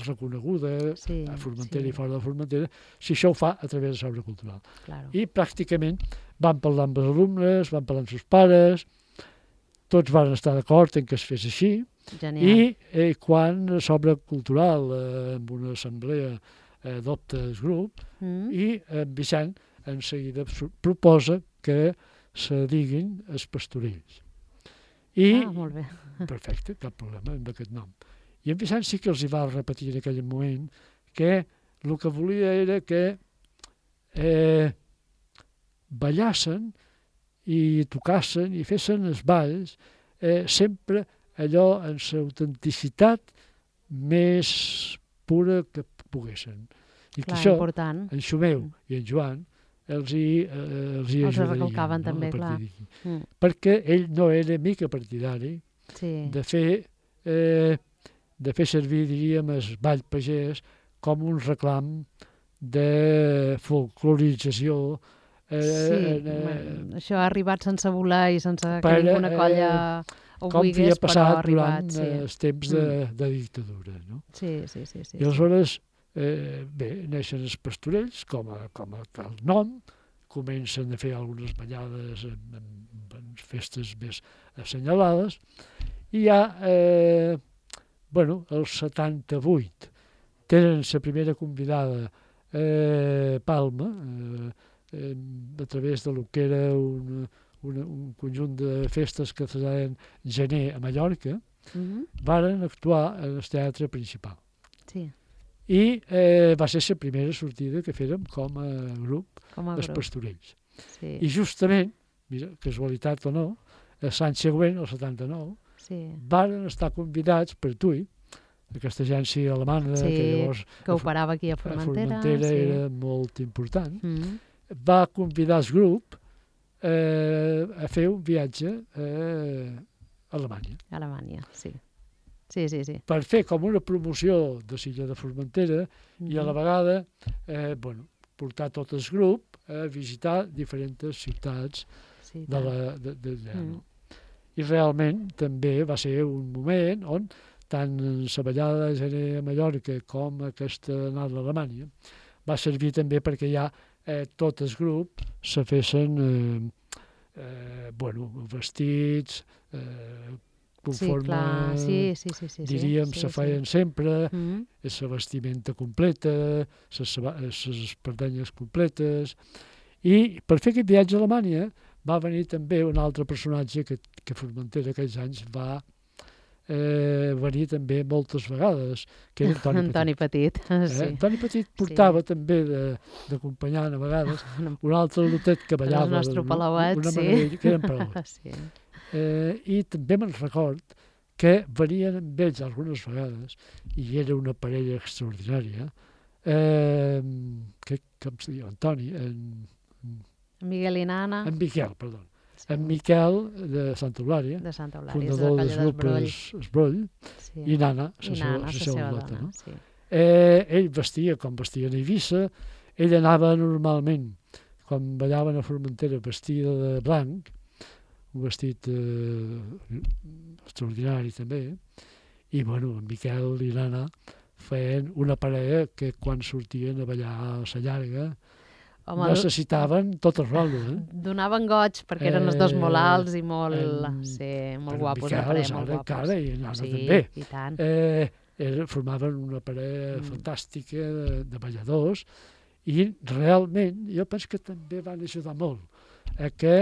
reconeguda Sí, a Formentera sí. i fora de Formentera, si això ho fa a través de Sobre Cultural. Claro. I pràcticament van parlar amb els alumnes, van parlar amb els seus pares, tots van estar d'acord en que es fes així, Genial. i eh, quan Sobre Cultural, eh, amb una assemblea, eh, adopta el grup, Mm? i en Vicent en seguida su- proposa que se diguin els pastorells. I, Ah, molt bé. perfecte, cap problema amb aquest nom. I en Vicent sí que els hi va repetir en aquell moment que el que volia era que eh, ballassen i tocassen i fessin els balls eh, sempre allò en l'autenticitat més pura que poguessin. I que Clar, això, important. en Xumeu i en Joan, els hi, eh, els hi Els ajudarien. recalcaven no, també, a partir clar. d'aquí. Mm. Perquè ell no era mica partidari Sí, de fer, eh, de fer servir, diríem, el ball pagès com un reclam de folclorització. Eh, sí. eh, Bueno, això ha arribat sense voler i sense que per, ninguna eh, colla ho com havia volgués, però ha passat arribat. durant Sí. eh, els temps de, de dictadura. No? sí, sí, sí. sí, I aleshores eh, bé, neixen els pastorells, com a, com a el nom, comencen a fer algunes ballades en, en, en festes més assenyalades, i ja, eh, bueno, el setanta-vuit, tenen la primera convidada, eh, Palma, eh, eh, a través de lo que era un, un, un conjunt de festes que es deien Gener a Mallorca, mm-hmm. varen actuar en el teatre principal. Sí. I eh, va ser la primera sortida que fèrem com a grup, com a els grup. Pastorells. Sí. I justament, mira, casualitat o no, l'any següent, el setanta-nou, sí. varen estar convidats per tu, aquesta agència alemana, sí, que llavors que operava aquí a Formentera, a Formentera sí. era molt important, mm-hmm. va convidar el grup eh, a fer un viatge eh, a Alemanya. A Alemanya, sí. Sí, sí, sí. Per fer com una promoció de l'illa de Formentera mm-hmm. i a la vegada eh, bueno, portar tot el grup a visitar diferents ciutats sí, de la, de, de, de, mm. no? I realment també va ser un moment on tant la ballada de Gener a Mallorca com aquesta anada a Alemanya va servir també perquè ja eh, tot el grup se fessin eh, eh, bueno, vestits, eh, conforme, sí, clar. Sí, sí, sí, sí, diríem, sí, se sí, feien sí. sempre, mm-hmm. la vestimenta completa, les espardenyes completes, i per fer aquest viatge a Alemanya va venir també un altre personatge que, que Formentera aquells anys va eh, venir també moltes vegades, que era Antoni, Antoni Petit. Petit. Eh? Sí. Antoni Petit portava sí. també d'acompanyant a vegades un altre lotet que ballava. El nostre palauet, una sí. manera, que eren palauets. Sí. Eh, I també me'n record que venien amb ells algunes vegades, i era una parella extraordinària, eh, que, com se diu, Antoni, en, en Miguel i Nana. En Miquel, perdó. Sí. En Miquel de Santa Eulària, de Santa Eulària, fundador del grup Esbroll, sí. i Nana, I la Nana, seva, seva dona. No? Sí. Eh, ell vestia com vestia a Eivissa, ell anava normalment, quan ballaven a Formentera, vestida de blanc, un vestit eh, extraordinari també, i bueno, en Miquel i l'Anna feien una parella que quan sortien a ballar a la llarga Home, necessitaven tot el rol. Eh? Donaven goig perquè eren els dos molt alts i molt, en, sí, molt guapos. Miquel, parella, molt guapos. Encara, i l'Anna sí, també. I tant. Eh, era, formaven una parella mm. fantàstica de, de balladors, i realment jo penso que també van ajudar molt a que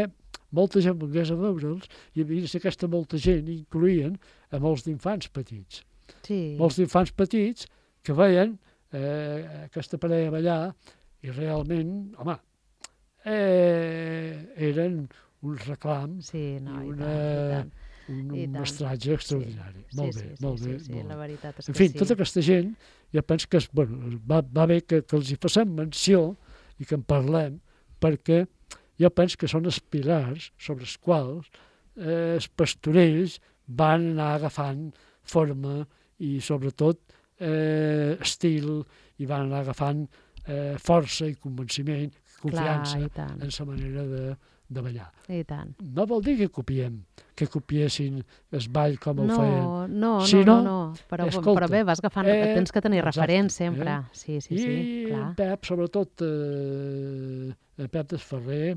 molta gent volgués a veure'ls, i a dins aquesta molta gent incloïen a molts d'infants petits. Sí. Molts d'infants petits que veien eh, aquesta parella ballar, i realment, home, eh, eren un reclam sí, no, i, i una, tant, i un, I un mestratge extraordinari. Sí, molt sí, bé, sí, molt sí, bé. Sí, sí, molt la veritat és que en fi, sí. tota aquesta gent, jo penso que bueno, va, va bé que, que els hi passem menció i que en parlem, perquè jo penso que són els pilars sobre els quals eh, els pastorells van anar agafant forma i sobretot eh, estil, i van anar agafant eh, força i convenciment, confiança Clar, en la manera de, de ballar. I tant. No vol dir que copiem, que copiessin el ball com el no, feien. No, si no, no, no, no. Però, escolta, però bé, vas agafant, eh, tens que tenir exacte, referents sempre. Eh? Sí, sí, I sí, clar. en Pep, sobretot, eh, en Pep Desferrer,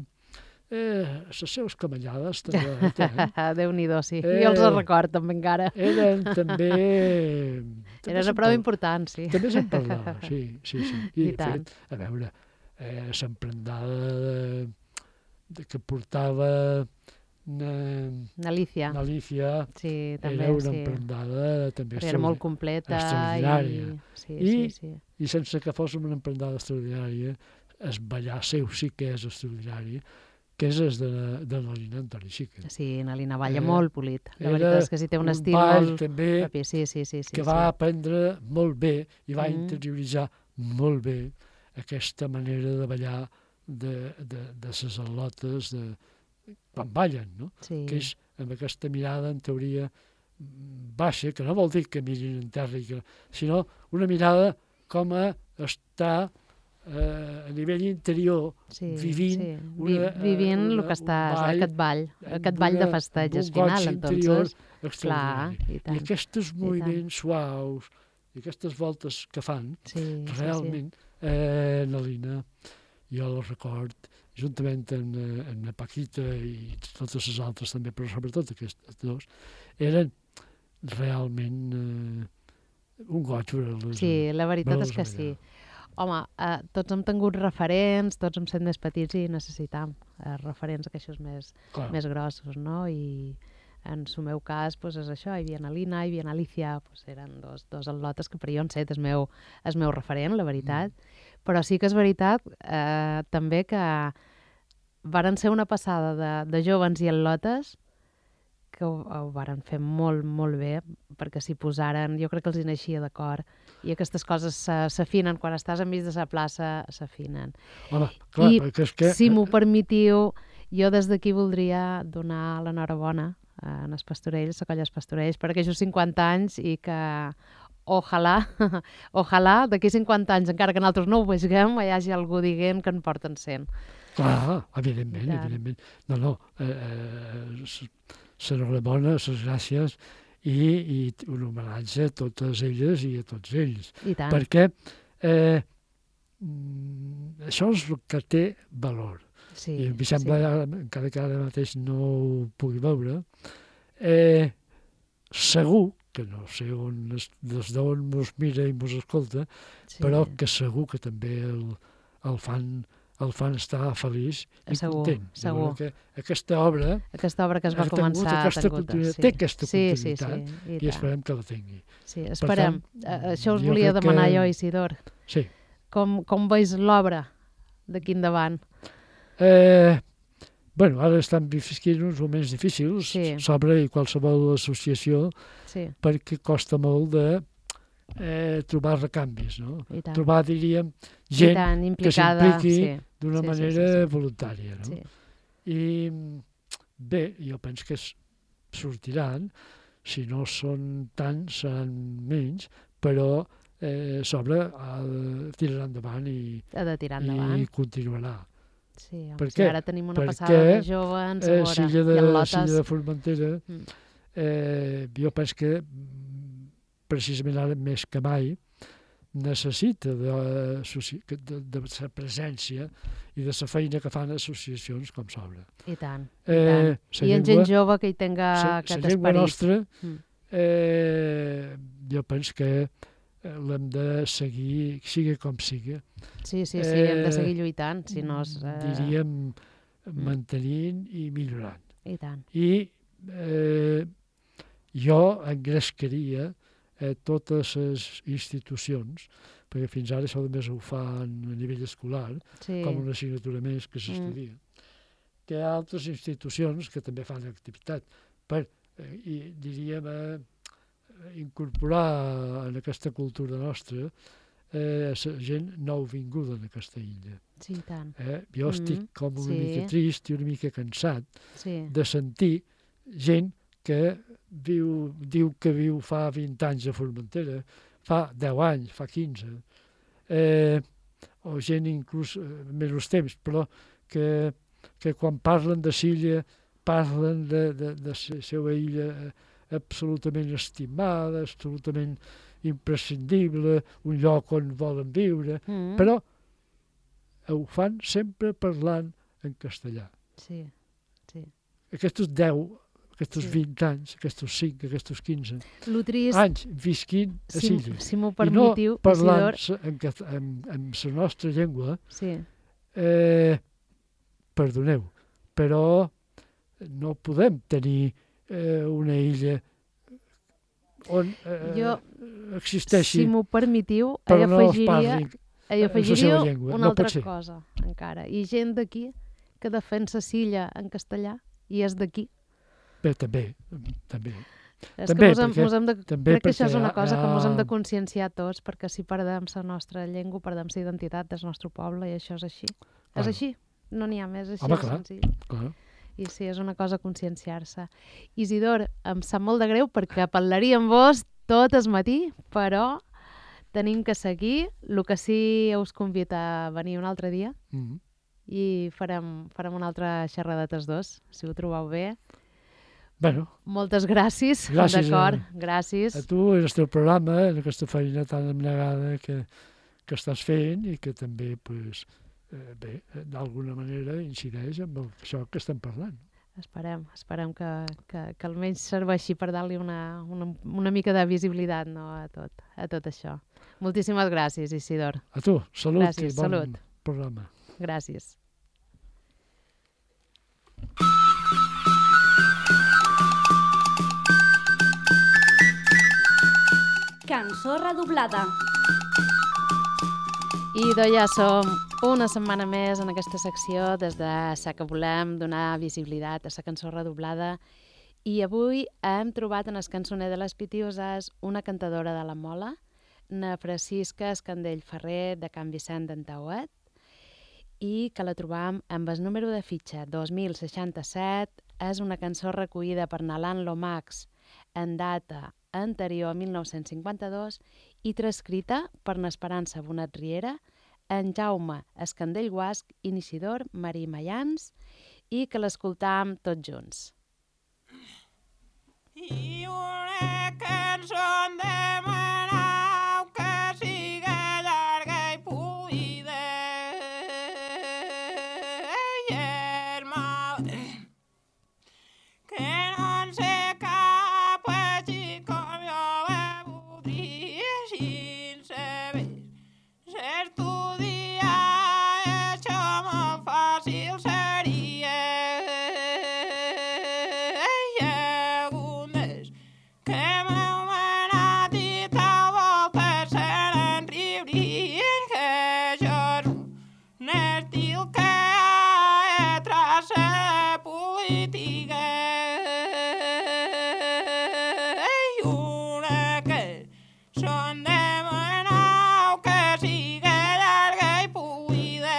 eh, les seves camallades també. Eh? Déu-n'hi-do, sí. Eh, jo els record també encara. Eren també... també Era una prova important, sí. També se'n parlava, sí, sí, sí. I, I tant. Fet, a veure, eh, l'emprendada de, de, que portava na, N'Alicia. N'Alicia, sí, també, era una sí. emprendada també era molt completa. extraordinària. I, sí, I, sí, sí. I sense que fos una emprendada extraordinària, el ballar seu sí que és extraordinari, que és el de, de la Lina Antoni Xica. Sí, Nalina balla Eh, molt polit. La veritat és que sí, té un, un estil ball molt també propi. Sí, sí, sí, sí, que sí. va aprendre molt bé i va Mm. interioritzar molt bé aquesta manera de ballar de, de, de ses al·lotes de, quan ballen, no? Sí. Que és amb aquesta mirada, en teoria, baixa, que no vol dir que mirin en terra, i que, sinó una mirada com a estar eh, a nivell interior, sí, vivint, sí. una, Vi, vivint una, el que estàs, ball, aquest ball, aquest ball de festeig al final, entonces. Clar, i tant. I aquests moviments I suaus I aquestes voltes que fan, Sí, realment, sí, sí. eh, na Lina, jo el record, juntament amb, amb la Paquita i totes les altres també, però sobretot aquests dos, eren realment eh, un goig veure-les. Sí, la veritat és veure-les que allà. sí. Home, eh, tots hem tingut referents, tots hem set més petits i necessitam eh, referents aquells més, Clar. més grossos, no? I en el meu cas, pues, és això, hi havia na Lina, hi havia na Alicia, pues, eren dos, dos al·lotes que per jo han set el meu, el meu referent, la veritat. Mm. Però sí que és veritat eh, també que varen ser una passada de, de jovens i al·lotes que ho, ho varen fer molt, molt bé, perquè s'hi posaren, jo crec que els hi naixia d'acord, i aquestes coses s'afinen, quan estàs enmig de la plaça, s'afinen. Home, clar, I, perquè és que... si m'ho permetiu, jo des d'aquí voldria donar l'enhorabona en els pastorells, a Colles Pastorells, per aquells cinquanta anys i que ojalà, ojalà d'aquí cinquanta anys, encara que nosaltres no ho veiem, hi hagi algú dient que en porten cent. Clar, evidentment, evidentment. No, no, eh, eh, s'enhorabona, les gràcies i, i un homenatge a totes elles i a tots ells. I tant. Perquè eh, això és el que té valor. Sí, I em sembla, sí. encara que ara mateix no ho pugui veure, eh, segur, que no sé on, des d'on mos mira i mos escolta, sí. Però que segur que també el, el fan el fan estar feliç i segur, content. Segur. Que aquesta obra... Aquesta obra que es va començar... Aquesta continuïtat, sí. Té aquesta sí, continuïtat sí, sí, i, i esperem que la tingui. Sí, esperem. Tant, això us volia jo demanar que... jo, Isidor. Sí. Com, com veus l'obra d'aquí endavant? Eh, bueno, ara estan vivint uns moments difícils sí. sobre qualsevol associació sí. perquè costa molt de eh, trobar recanvis, no? Trobar, diríem, gent tant, que s'impliqui sí. d'una sí, manera sí, sí, sí. voluntària, no? Sí. I bé, jo penso que sortiran, si no són tants, seran menys, però eh, sobre ha de tirar endavant i, ha de tirar endavant. i continuarà. Sí, per si ara tenim una Perquè, passada de jovens, eh, a Silla de, i al·lotes... Silla de Formentera, mm. eh, jo penso que precisament ara més que mai necessita de, de, de la presència i de la feina que fan associacions com s'obra. I tant, eh, i tant. I en gent jove que hi tenga sa, aquest esperit. La llengua nostra, mm. eh, jo penso que l'hem de seguir, sigui com sigui. Sí, sí, sí, eh, hem de seguir lluitant, si no és... Eh... Diríem, mantenint i millorant. I tant. I eh, jo engrescaria eh, totes les institucions, perquè fins ara això només ho fan a nivell escolar, sí. com una assignatura més que s'estudia. Mm. Que hi ha altres institucions que també fan activitat per, eh, i, diríem, eh, incorporar en aquesta cultura nostra eh, gent nouvinguda en aquesta illa. Sí, tant. Eh? Jo mm-hmm. estic com una sí. mica trist i una mica cansat sí. de sentir gent que viu, diu que viu fa vint anys a Formentera, fa deu anys, fa quinze, eh, o gent inclús eh, menys temps, però que, que quan parlen de Silla parlen de, de, de la seva illa absolutament estimada, absolutament imprescindible, un lloc on volen viure, mm. però ho fan sempre parlant en castellà. Sí, sí. Aquests deu, aquests sí. vint anys, aquests cinc, aquests quinze trist... anys visquint a si, Silla. Si m'ho permetiu, I no parlant en, en, en la nostra llengua, sí. eh, perdoneu, però no podem tenir eh, una illa on eh, jo, existeixi, si m'ho permetiu, però no es afegiria, parli afegiria llengua. una no altra cosa encara. I gent d'aquí que defensa Silla en castellà i és d'aquí. Bé, també, també. És també, que mos hem, perquè, mos hem de, també crec que això és una cosa ha... que ens hem de conscienciar tots, perquè si perdem la nostra llengua, perdem la identitat del nostre poble, i això és així. Clar. És així, no n'hi ha més, així Home, és clar, senzill. Clar. I sí, és una cosa conscienciar-se. Isidor, em sap molt de greu perquè parlaria amb vos tot el matí, però tenim que seguir. El que sí us convido a venir un altre dia mm-hmm. i farem, farem una altra xerrada tots dos, si ho trobeu bé, Bueno, moltes gràcies, gràcies d'acord, a, gràcies. a tu i al teu programa, en aquesta feina tan abnegada que, que estàs fent i que també, pues, eh, bé, d'alguna manera incideix amb el, això que estem parlant. Esperem, esperem que, que, que almenys serveixi per dar-li una, una, una mica de visibilitat, no, a tot, a tot això. Moltíssimes gràcies, Isidor. A tu, salut Gràcies, i bon salut. programa. Gràcies. Cançó redoblada. I doncs ja som una setmana més en aquesta secció des de sa que volem donar visibilitat a la cançó redoblada i avui hem trobat en el cançoner de les Pitioses una cantadora de la Mola, na Francisca Escandell Ferrer de Can Vicent d'Antauet i que la trobam amb el número de fitxa dos mil seixanta-set. És una cançó recollida per Nalan Lomax en data anterior a mil nou-cents cinquanta-dos i transcrita per n'Esperança Bonet Riera, en Jaume Escandell Guasc i Isidor Marí Mayans i que l'escoltam tots junts. I una cançó demanau que siga llarga i polida i és mal que no en sé cap així com jo la voldria sin saber s'estudiar això molt fàcil seria i algunes que m'heu manat i tal volta se n'enriurien que això és un estil que ha traça de política i una que són demanau que siga llarga i polida.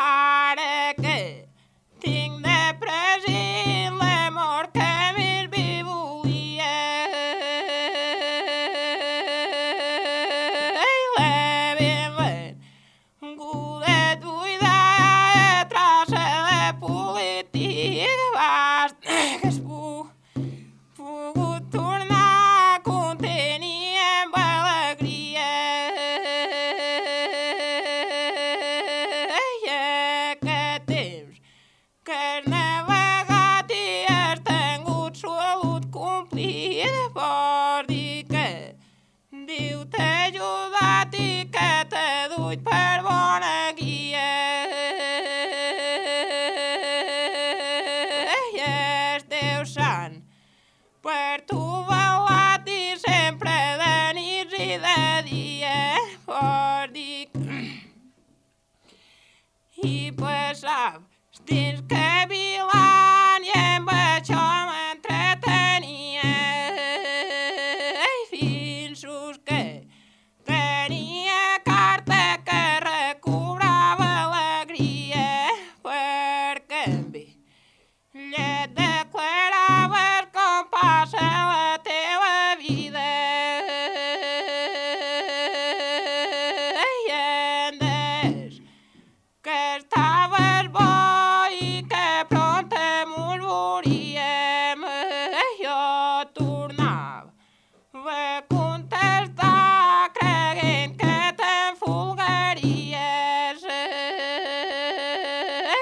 Ara que tinc de present l'amor que més bé volia i la benvinguda buida traça de política basta que es pu- pogut tornar a contenir amb alegria i aquest temps que has navegat i has tingut salut complida vol dir que Déu t'ha ajudat i que t'ha dut per bona guia i el teu sant per tu velat i sempre de nits i de dia vol dir que i passava els temps que vilant i amb això m'entretenia i fins que tenia carta que recobrava alegria perquè amb ella declaraves com passa la teva vida i en des que estaves bo i que pront mos veuríem jo tornava a contestar creient que t'enfolgaries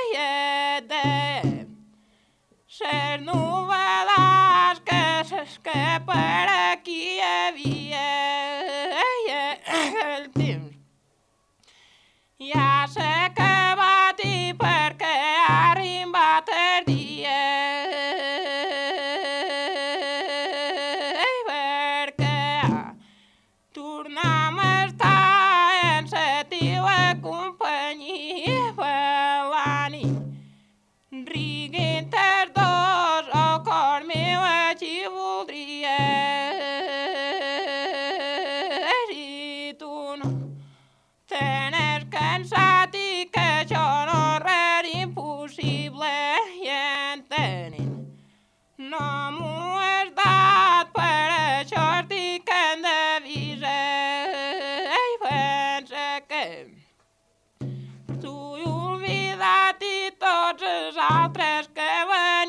i et deia ses novel·les que, que per aquí hi havia i el temps ja s'ha acabat i perquè ha arribat el dia i perquè tornem a estar en la teva companyia per la nit riguent els dos el cor meu així voldria i tu no t'has cansat i que això no és res impossible i entenent no m'ho has dat per això estic en devisa i pensa que t'ho he oblidat i tots els altres que venien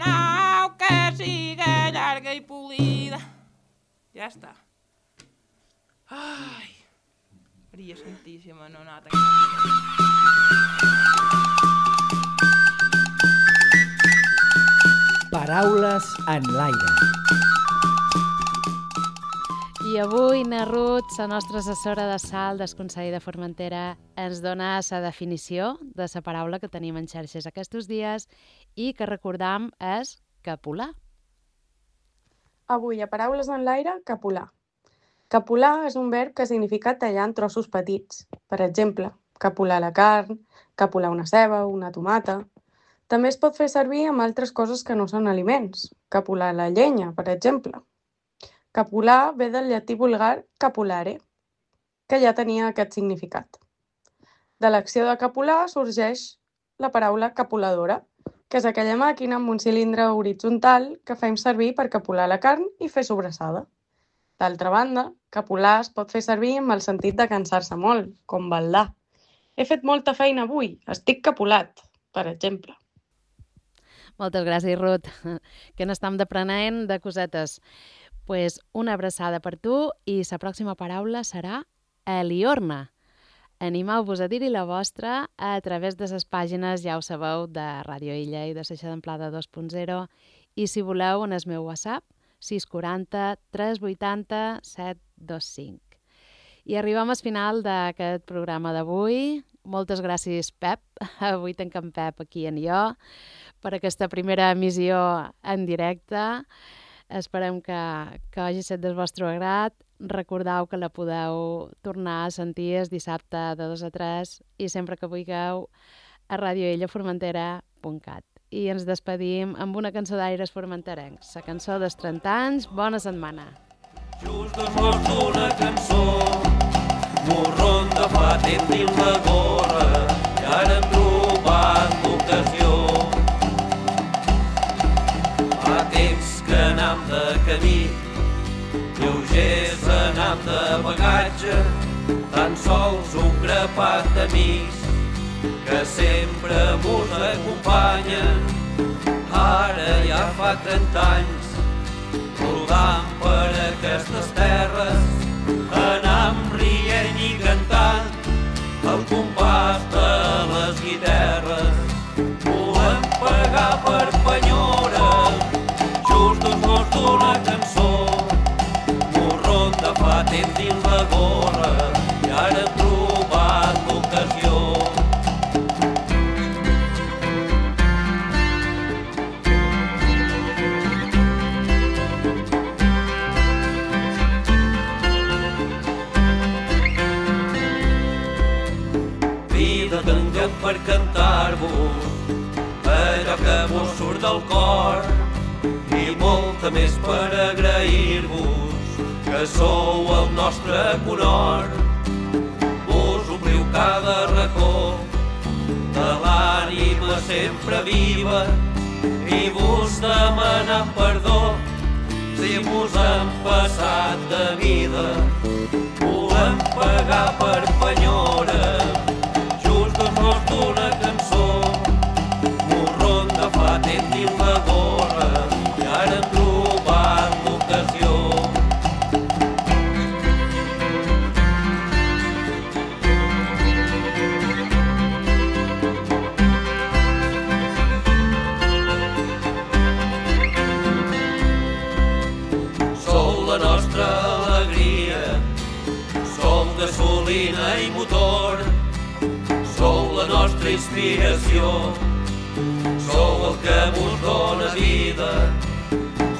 nau que siga llarga i polida. Ja està. Ai, Maria Santíssima, no nota que... Paraules en l'aire. I avui na Ruth, la nostra assessora de sal del Consell de Formentera, ens dona la definició de la paraula que tenim en xarxes aquests dies i que recordam és capular. Avui a Paraules en l'aire, capular. Capular és un verb que significa tallar en trossos petits. Per exemple, capular la carn, capular una ceba, una tomata. També es pot fer servir amb altres coses que no són aliments. Capular la llenya, per exemple. Capular ve del llatí vulgar capulare, que ja tenia aquest significat. De l'acció de capular sorgeix la paraula capuladora, que és aquella màquina amb un cilindre horitzontal que fem servir per capular la carn i fer sobrassada. D'altra banda, capular es pot fer servir amb el sentit de cansar-se molt, com baldar. He fet molta feina avui, estic capulat, per exemple. Moltes gràcies, Ruth, que n'estem aprenent de cosetes. Pues una abraçada per tu i la pròxima paraula serà eliorna. Animeu-vos a dir-hi la vostra a través de les pàgines, ja ho sabeu, de Ràdio Illa i de Seixa d'Amplada dos punt zero i si voleu en el meu WhatsApp sis quatre zero tres vuit zero set dos cinc. I arribem al final d'aquest programa d'avui. Moltes gràcies, Pep. Avui tanquem Pep aquí en jo per aquesta primera emissió en directe. Esperem que, que hagi estat del vostre agrat. Recordeu que la podeu tornar a sentir el dissabte de dos a tres i sempre que vulgueu a radioillaformentera punt cat. I ens despedim amb una cançó d'aires formenterencs, la cançó dels trenta anys. Bona setmana. Just dos morts d'una cançó, morron de fa temps dins la gorra, i ara hem trobat l'ocasió. Fa temps que anam de camí, lleugers anam de bagatge, tan sols un grapat d'amics que sempre mos acompanyen. Ara ja fa trenta anys, rodant per aquestes terres, anam rient i cantant al compàs de les guitarres. Volem pagar per penyora, just dos mots d'una cançó, morron de fa temps dins la gorra, i ara hem trobat l'ocasió. Vida tinguem per cantar-vos allò que vos surt del cor i molta més per agrair-vos que sou el nostre conhort. Vos ompliu cada racó de l'ànima sempre viva i vos demanam perdó si vos hem passat de vida. Volem pagar per penyora, just dos mots d'una cançó, morron de fa temps dins la gorra, i ara hem trobat l'ocasió. Sou la nostra alegria, sou gasolina i motor, sou la nostra inspiració, sou el que mos dóna vida,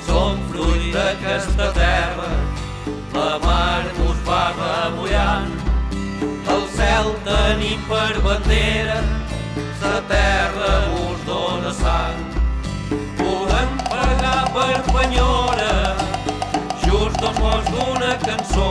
som fruit d'aquesta terra, la mar mos va remullant, el cel tenim per bandera, la terra mos dóna sang. Volem pagar per penyora, just dos mots d'una cançó,